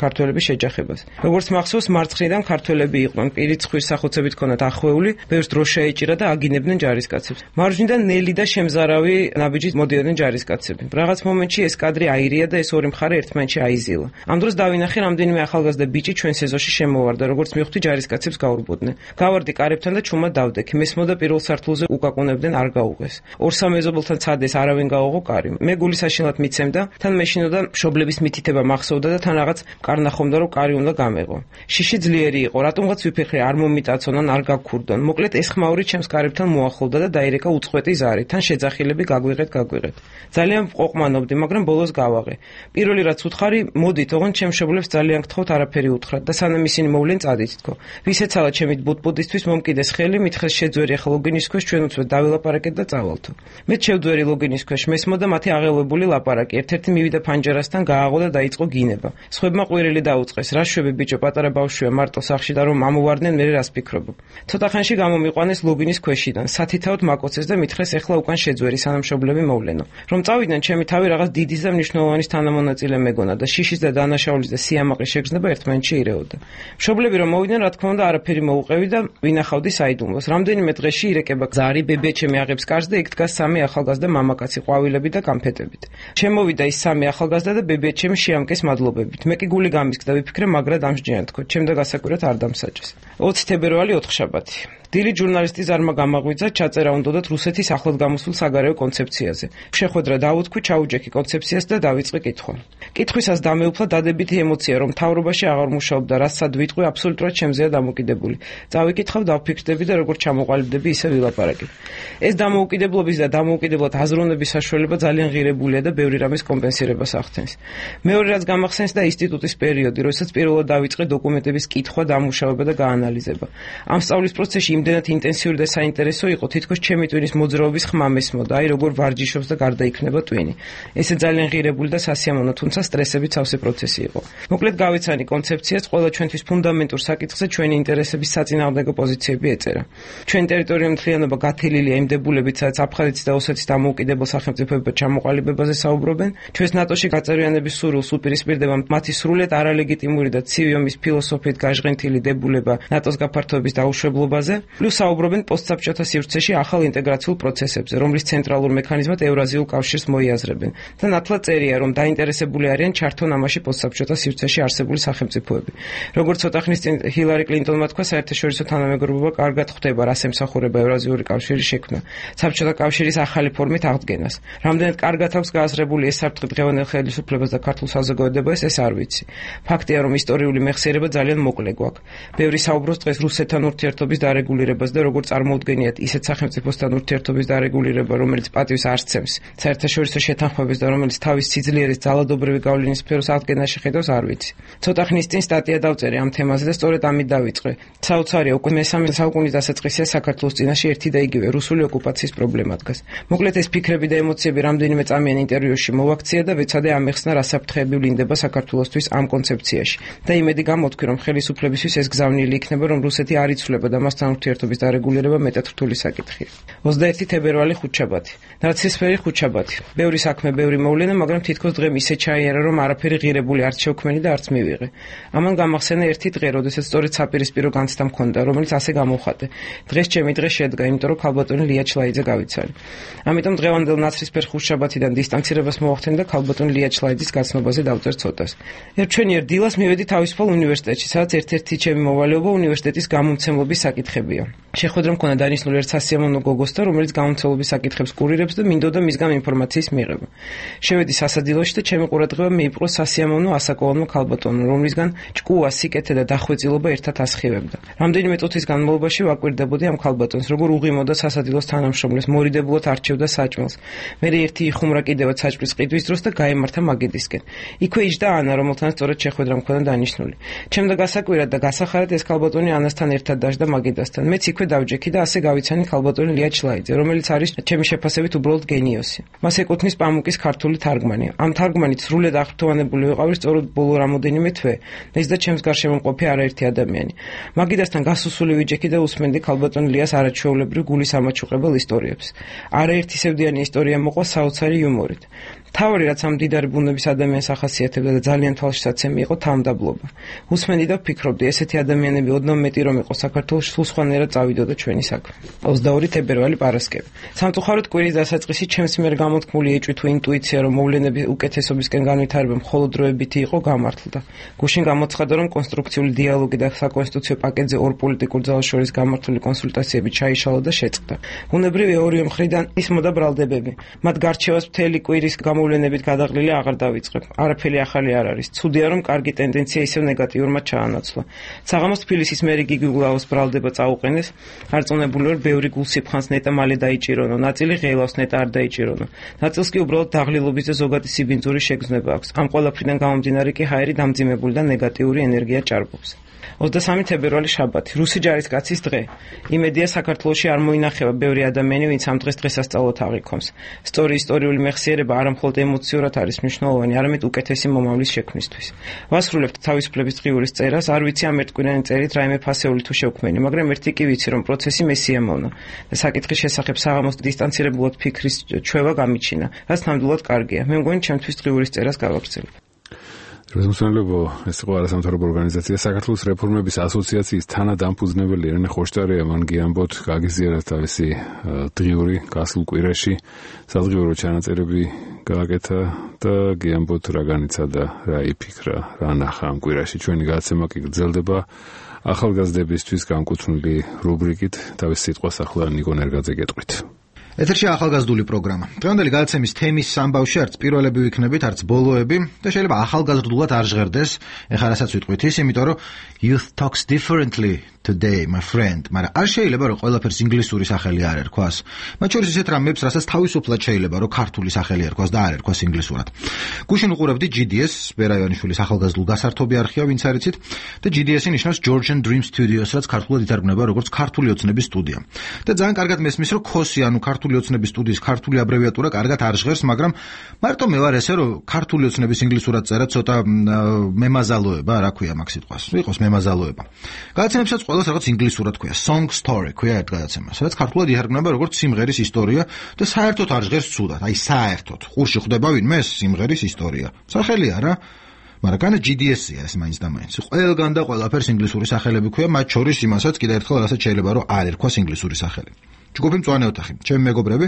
ქართველების შეჯახებას. როგორც მახსოვს, მარცხნიდან ქართველები იყვნენ, პირით ცხვრის სახუცებით ქონათ ახვეული, ბევრს დროშა ეჭირა და აგინებდნენ ჯარისკაცებს. მარჯვნიდან ნელი და შემზარავი ნაბიჯით მოდიოდნენ ჯარისკაცები. რაღაც მომენტში ეს კადრი აირია და ეს ორი მხარე ერთმანეთში აიზილა. ამ დროს დავინახე რამდენიმე ახალგაზრდა ბიჭი ჩვენ სეზონში შემოვარდა, როგორც მივხვდი ჯარისკაცებს გაურბოდნენ. გავარდი კარებთან და ჩუმად დავდექი. მესმოდა პირველ სართულზე უკაკუნებდნენ, არ გაუღეს. ორ-სამ მეზობელთან ცადეს, არავინ გაუღო კარი. მე გული საშინლად მიცემდა, თან მეშინოდა მშობლების მითითება მახსოვდა და თან რაღაც კარნახომდა რომ კარი უნდა გამეღო. შიში ძლიერი იყო, რატომღაც ვიფიქრე არ მომიტაცონ ან არ გაგქურდონ. მოკლედ ეს ხმაური ჩემს კარებთან მოახლოვდა და დაირეკა უწყვეტი ზარი. თან შეძახილები გაგვიღეთ, გაგვიღეთ. ძალიან ყოფმანობდი, მაგრამ ბოლოს გავაღე. პირველი რაც უთხარი, მოდით, ოღონდ ჩემ მშობლებს ძალიან გთხოვთ არაფერი უთხრათ და სანამ ისინი მოვლენ წადით თქო. ვისეცალა ჩემი ბუტბუდისთვის მომკიდეს ხელი, მითხეს შეძვერი ახლა ლოგინის ქვეშ ჩვენ უცებ დავილაპარაკეთ და წავალთო. მე შევძვერი ლოგინის ქვეშ, მესმოდა მათი აღელვებული ლაპარაკი. ერთ-ერთი მივიდა ფანჯარასთან, გააღო და დაიწყო გინება. სხვებმა ყვირილი დაუწყეს. რა შვები ბიჭო, პატარა ბავშვია მარტო სახლში და რომ ამოვარდნენ, მე რას ფიქრობ. ცოტა ხანში გამომიყვანეს ლოგინის ქვეშიდან. სათითაოდ მაკოცეს და მითხრეს ეხლა უკან შეძვერი სანამ მშობლები მოვლენო. რომ წავიდნენ, ჩემი თავი რაღაც დიდის და მნიშვნელოვანის თანამონაწილე მეგონა და შიშის და დანაშაულის და სიამაყის შეგრძნება ერთმანეთში ირეოდა. მშობლები რომ მოვიდნენ, რა თქმა უნდა, არაფერი მოუყევი და ვინახავდი საიდუმლოს. რამდენიმე დღეში ირეკება ზარი, ბებია ჩემი აღებს კარს და იქ დგას სამი ახალგაზრდა მამაკაცი, ყვავილები და გამფეტებით. შემოვიდა ის სამი ახალგაზრდა და ბებია ჩემი შეამკეს მადლობებით. მე კი გული გამისკდა, ვიფიქრე მაგრად ამსჯიან თქო, ჩემ და გასაკვირად არ დამსაჭეს. ოცი თებერვალი ოთხშაბათი. დილით ჟურნალისტი ზარმა გამაღვიძა, ჩაწერა უნდათ რუსეთის ახლად გამოსულ საგარეო კონცეფციაზე. შეხვედრა დავუთქვი, ჩაუჯექი კონცეფციას და დავიწყე კითხვა. კითხვისას დამეუფლა დადებითი ემოცია, რომ მთავრობაში აღარ მუშაობდა, რასაც ვიტყვი, აბსოლუტურად ჩემზეა დამოკიდებული. წავიკითხავ, დავფიქრდები და როგორც ჩამოყალიბდები, ისე ვილაპარაკე. ეს დამოუკიდებლობის და დამოუკიდებლად აზროვნების საშუალება ძალიან ღირებულია და ბევრი რამის კომპენსირებას ახდენს. მეორე რაც გამახსენს და ინსტიტუტის პერიოდი, როდესაც პირველად დავიწყე დოკუმენტების კითხვა, დამუშავება და გაანალიზება. ამ სწავლის პროცესში იმდენად ინტენსიური და საინტერესო იყო, თითქოს ჩემი ტვინის მოძრაობის ხმა მესმოდა, აი როგორ ვარჯიშობს და გარდაიქმნება ტვინი. ესე ძალიან ღირებული და სასიამოვნო, თუმცა სტრესებით სავსე პროცესი იყო. მოკლედ გავეცანი კონცეფციას, ყველა ჩვენთვის ფუნდამენტურ საკითხზე ჩვენი ინტერესების საწინააღმდეგო პოზიციები ეწერა. ჩვენი ტერიტორიული მთლიანობა გათელილია იმ დებულებით, სადაც აფხაზეთის და ოსეთის დამოუკიდებელ სახელმწიფოებად ჩამოყალიბებაზე საუბრობენ. ჩვენს ნატოში გაწევრიანების სურვილს უპირისპირდება მათი სრულიად არალეგიტიმური და ცივი ომის ფილოსოფიით გაჟღენთილი დებულება ნატოს გაფართოების დაუშვებლობაზე, პლუს საუბრობენ პოსტსაბჭოთა სივრცეში ახალ ინტეგრაციულ პროცესებზე, რომლის ცენტრალურ მექანიზმად ევრაზიულ კავშირს მოიაზრებენ და ნათლად წერია, რომ დაინტერესებული არიან ჩართონ ამაში პოსტსაბჭოთა სივრცეში არსებული სახელმწიფოები. როგორც ცოტა ხნის წინ ჰილარი კლინტონმა თქვა, საერთაშორისო თანამეგობრობა კარგად ხვდება, რას ემსახურება ევრაზიული კავშირის შექმნა, საბჭოთა კავშირის ახალი ფორმით აღდგენას. რამდენად კარგად აქვს გააზრებული ეს საფრთხე დღევანდელ ხელისუფლებას და ქართულ საზოგადოებას, ეს არ ვიცი. ფაქტია, რომ ისტორიული მეხსიერება ძალიან მოკლე გვაქვს. ბევრი საუბრობს დღეს რუსეთთან ურთიერთობის დარეგულირებას და როგორც წარმოუდგენიათ ისეთ სახელმწიფოსთან ურთიერთობის დარეგულირება, რომელიც პატივს არ სცემს საერთაშორისო შეთანხმების და რომელიც თავის სიძლიერის ძალადობრივი გავლენის სფეროს აღდგენაში ხედავს, არ ვიცი. ცოტა ხნის წინ სტატია დავწერე ამ თემაზე და სწორედ ამით დავიწყე. საოცარია, უკვე მესამე საუკუნის დასაწყისია საქართველოს წინაშე ერთი და იგივე რუსული ოკუპაციის პრობლემა დგას. მოკლედ ეს ფიქრები და ემოციები რამდენიმე წამიან ინტერვიუში მოვაქცია და ვეცადე ამეხსნა რა საფრთხეები ვლინდება საქართველოსთვის ამ კონცეფციაში. და იმედი გამოთქვი, რომ ხელისუფლებისთვის ეს გზავნილი იქნება, რომ რუსეთი არ იცვლება და მასთან ურთიერთობის დარეგულირება მეტად რთული საკითხია. ოცდაერთი თებერვალი ხუთშაბათი. ნაცისფერი ხუთშაბათი. ბევრი საქმე, ბევრი მოვლენა, მაგრამ თითქოს დღე ისე ჩაიარა, რომ არაფერი ღირებული არც შევქმენი და არც მივიღე. ამან გამახსენა ერთი დღე, როდესაც სწორედ საპირისპირო განცდა მქონდა, რომელიც ასე გამოვხატე. დღეს ჩემი დღე შედგა, იმიტომ რომ ქალბატონი ლია ჩლაიძე გავიცალე. ამიტომ დღევანდელ ნაცრისფერ ხუთშაბათიდან დისტანცირებას მოვახდენ და ქალბატონ ლია ჩლაიძის გაცნობაზე დავწერ ცოტას. ერთჩვენიერ დილას მივედი თავისუფალ უნივერსიტეტში, სადაც ერთ-ერთი ჩემი მოვალეობა უნივერსიტეტის გამომცემლობის საკითხებია. შეხვედრა მქონდა დანიშნული ერთ სასიამოვნო გოგოსთან, რომელიც გამომცემლობის საკითხებს კურირებს და მინდოდა მისგან ინფორმაციის მიღება. შევედი სასადილოში და ჩემი ყურადღება მიიპყრო სასიამოვნო ასაკოვანმა ქალბატონმა, რომლისგან ჭკუა, სიკეთე და დახვეწილობა ერთად ასხივებდა. რამდენიმე წუთის განმავლობაში ვაკვირდებოდი ამ ქალბატონს, როგორ უღიმოდა სასადილოს თანამშრომლებს, მორიდებულად არჩევდა საჭმელს. მერე ერთი იხუმრა კიდევაც საჭმლის ყიდვის დროს და გაემართა მაგიდისკენ. იქვე იჯდა ანა, რომელთან სწორედ შეხვედრა მქონდა დანიშნული. ჩემდა გასაკვირად და გასახარად ეს ქალბატონი ანასთან ერთად დაждდა მაგიდასთან. მეც იქვე დავჯექი და ასე გავიცანი ქალბატონი ლია ჩლაიძე, რომელიც არის ჩემი შეფასებით უბრალოდ გენიოსი. მას ეკუთვნის პამუკის ქართული თარგმანი. ამ თარგმანით სრულად აღფრთოვანებული ვიყავი სწორედ ბოლო რამოდენიმე თვე. ეს და ჩემს გარშემო მყოფი არაერთი ადამიანი. მაგიდასთან გასუსული ვიჯექი და უსმენდი ქალბატონლიას არაჩვეულებრივ გულის ამაჩუყებელ ისტორიებს. არაერთი სევდიანი ისტორია მოყვა საოცარი იუმორით. თავი რაც ამ დიდარი ბუნების ადამიანს ახასიათებდა და ძალიან თვალშისაცემი იყო თავმდაბლობა. უსმენდი და ვფიქრობდი, ესეთი ადამიანები ოდნავ მეტი რომ იყო საქართველოს, სულ სხვანაირად წავიდოდა ჩვენი საქმე. ოცდაორი თებერვალი პარასკევი. სამწუხაროდ კვირის დასაწყისი ჩემს მიერ გამოთქმული ეჭვი თუ ინტუიცია, რომ მოვლენები უკეთესობისკენ განვითარება მხოლოდ დროებითი იყო, გამართლდა. გუშინ გამოცხადა, რომ კონსტრუქციული დიალოგი და საკონსტიტუციო პაკეტზე ორ პოლიტიკურ ძალას შორის გამართული კონსულტაციები ჩაიშალა და შეწყდა. ბუნებრივია ორივე მხრიდან ისმოდა ბრალდებები. მათ გარჩევას მთელი კვირის მოვლენებით გადაღლილი აღარ დავიწყებ. არაფერი ახალი არ არის. ცუდია რომ კარგი ტენდენცია ისევ ნეგატიურმად ჩაანაცვლა. საღამოს თბილისის მერი გიგი გულაოს ბრალდება წაუყენეს. არწმუნებული ვარ, ბევრი გულსიფხანს ნეტა მალე დაიჭირონო. ნაწილი ღელავს ნეტა არ დაიჭირონო. ნაწილს კი უბრალოდ დაღლილობის და ზოგადი სიბინძური შეგრძნება აქვს. ამ ყველაფრიდან გამომდინარე კი ჰაერი დამძიმებული და ნეგატიური ენერგია ჭარბობს. ოცდასამი თებერვალი შაბათი, რუსი ჯარისკაცის დღე. იმედია საქართველოში არ მოინახება ბევრი ადამიანი, ვინც ამ დღეს დღესასწაულად აღიქონს. სწორი ისტორიული მეხსიერება არა მხოლოდ ემოციურად არის მნიშვნელოვანი, არამედ უკეთესი მომავლის შექმნისთვის. ვასრულებთ თავისუფლების დღიურის წერას, არ ვიცი ამ ერთკვირიანი წერით რაიმე ფასეული თუ შევქმენი, მაგრამ ერთი კი ვიცი, რომ პროცესი მესიამოვნა და საკითხის შესახებ საღამოს დისტანცირებულად ფიქრის ჩვევა გამიჩინა, რაც ნამდვილად კარგია. მე მგონი ჩემთვის დღიურის წერას გავაგრძელებ. რეზოლუციებო ეს იყო არასამთავრობო ორგანიზაცია საქართველოს რეფორმების ასოციაციის თანადამფუძნებელი ერნე ხოშტარია მან გიამბოთ გაგიზიარა თავისი დღიური გასულ კვირაში სადღიურო ჩანაწერები გააკეთა და გიამბოთ რა განიცა და რა იფიქრა რა ნახა ამ კვირაში ჩვენი გადაცემა კი გრძელდება ახალგაზრდებისთვის განკუთვნილი რუბრიკით თავის სიტყვას ახლა ნიკო ნერგაძე გეტყვით. ეთერში ახალგაზრდული პროგრამა. დღევანდელი გადაცემის თემის სამბავში არც პირველები ვიქნებით, არც ბოლოები და შეიძლება ახალგაზრდულად არ ჟღერდეს. ეხლა რასაც ვიტყვით ის, იმიტომ რომ youth talks differently today, my friend. მაგრამ არ შეიძლება რომ ყველაფერს ინგლისური სახელი არ ერქვას. მათ შორის ისეთ რამებს, რასაც თავისუფლად შეიძლება რომ ქართული სახელი ერქვას და არ ერქვას ინგლისურად. გუშინ უყურებდი ჯი დი ეს, ბერა ივანიშვილის ახალგაზრდულ გასართობი არხია, ვინც არიცით, და ჯი დი ესი ნიშნავს Georgian Dream Studios, რაც ქართულად ითარგმნება როგორც ქართული ოცნების სტუდია. და ძალიან კარგად მესმის, რომ ქოსი, ანუ ქართული ოცნების სტუდიის ქართული აბრევიატურა კარგად არ ჟღერს, მაგრამ მარტო მე ვარ ესე, რომ ქართული ოცნების ინგლისურად წერა ცოტა მემაზალოება, რა ქვია მაგ სიტყვას. ვიყოს მემაზალოება. გადაცემებსაც ყველას რაღაც ინგლისურად ქვია, song story ქვია ერთ გადაცემას, რაც ქართულად ითარგმნება როგორც სიმღერის ისტორია და საერთოდ არ ჟღერს ცუდად. აი საერთოდ. ყურში ხვდება ვინმე სიმღერის ისტორია. სახელია რა. მაგრამ განა ჯი დი ესი-ია ეს მაინც და მაინც. ყველგან და ყველაფერს ინგლისური სახელები ქვია, მათ შორის იმასაც კიდევ ერთხელ რასაც შეიძლება რომ არ ერქვას ინგლისური სახელი. ჯგუფი მწვანე ოთახი. ჩემი მეგობრები,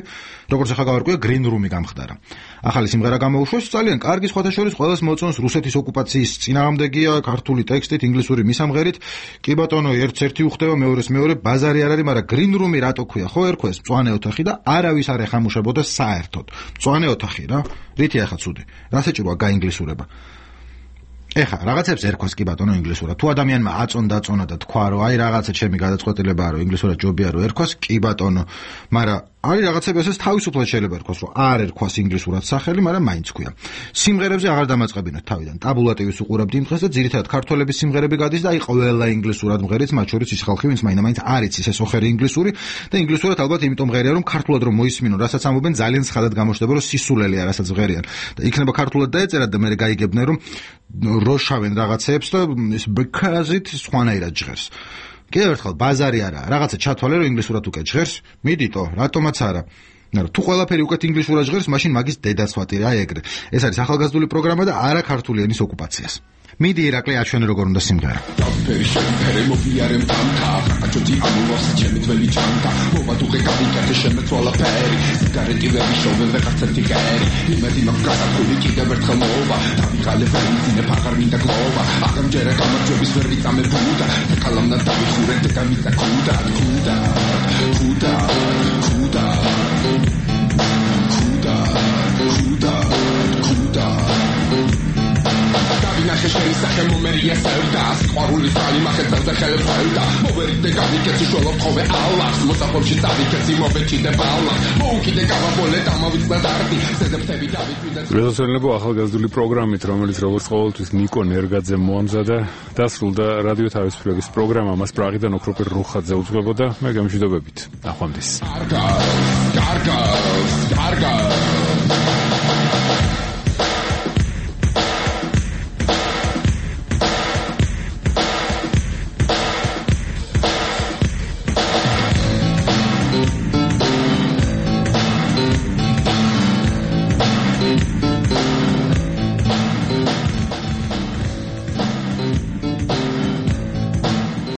როგორც ახლა გავარკვია, Green Room-ი გამხდარა. ახალი სიმღერა გამოუშვეს, ძალიან კარგი, სხვათა შორის ყველას მოწონს, რუსეთის ოკუპაციის წინააღმდეგია, ქართული ტექსტით, ინგლისური მისამღერით. კი ბატონო, ერთს ერთი უხდება, მეორეს მეორე, ბაზარი არ არის, მაგრამ Green Room-ი რატო ქვია? ხო ერქვა ეს მწვანე ოთახი და არავის არ ეხამუშებოდა საერთოდ. მწვანე ოთახი რა. რითი ახლა ცუდი? რა საჭიროა გაინგლისურება? ეხა რაღაცებს ერქვას კი ბატონო ინგლისურად. თუ ადამიანმა აწონდა აწონა და თქვა რომ აი რაღაცა ჩემი გადაწყვეტილებაა რომ ინგლისურად ჯობია რომ ერქვას კი ბატონო, მაგრამ არის რაღაცები ესეც თავისუფლად შეიძლება ერქვას რომ არ ერქვას ინგლისურად სახელი, მაგრამ მაინც ქვია. სიმღერებზე აღარ დამაწყებინოთ თავიდან. ტაბულატივის უყურებდი იმ დღეს და ძირითადად ქართველების სიმღერები გადის და აი ყველა ინგლისურად მღერიც, მათ შორის ის ხალხი, ვინც მაინდა-მაინც არ იცის ეს ოხერი ინგლისური და ინგლისურად ალბათ იმიტომ მღერია რომ ქართულად რომ მოისმინონ, რასაც ამობენ ძალიან ცხადად გამოჩნდება რომ სისულელია რასაც მღერიან. და იქნება ქართულად დაეწერათ და მე გაიგებდნენ რომ როშავენ რაღაცებს და ეს because-ით სხვანაირად ჟღერს. კიდევ ერთხელ ბაზარი არაა. რაღაცა ჩათვალე რომ ინგლისურად უკვე ჟღერს, მიდიტო, რატომაც არა. მაგრამ თუ ყველაფერი უკეთ ინგლისურად ჟღერს, მაშინ მაგის დედაც ვატირე, აი ეგრე. ეს არის ახალგაზრდული პროგრამა და არა ქართული ენის ოკუპაციას. მიდი ირაკლი აჩვენე როგორ უნდა სიმღერა. ფერი შეფერე მოვიარე მტანთა, აჭოთი ამოვას ჩემი ძველი ჩანთა, მოვადუღე გავიკეთე შემეცვალა ფერი, სიგარეტი ვერ მიშოვე ვეღარც ერთი გერი, იმედი მაქვს გასაგული კიდევ ერთხელ მოვა, დავიღალე ვერ მძინე ფაღარ მინდა გლოვა, აღამჯერა გამარჯვების ვერ ვიწამე ბუდა, კალამნა დავიხურე და გამიწა ქუდა, ქუდა, ქუდა, ქუდა, ქუდა, ქუდა, ქუდა. ნახე შენი სახე მომერია სევდა სიყვარულის ძალი მახეცავდა ხელებს ფევდა მოვერიდე გავიკეთე შოლობ ხოვე ალას მოსაყობში წავიკეთე მოვეჭიდე ბალას მოუკიდე გავაბოლე დამავიწყდა დარტი ზედაფთები დავიკვირდა რეზოლუციონებო ახალგაზრდული პროგრამით რომელიც როგორც ყოველთვის ნიკო ნერგაძე მოამზადა დასრულდა რადიო თავისუფლების პროგრამა მას პრაღიდან ოქროპირ რუხაძე უძღვებოდა მე გამშვიდობებით ნახვამდის გარგა გარგა გარგა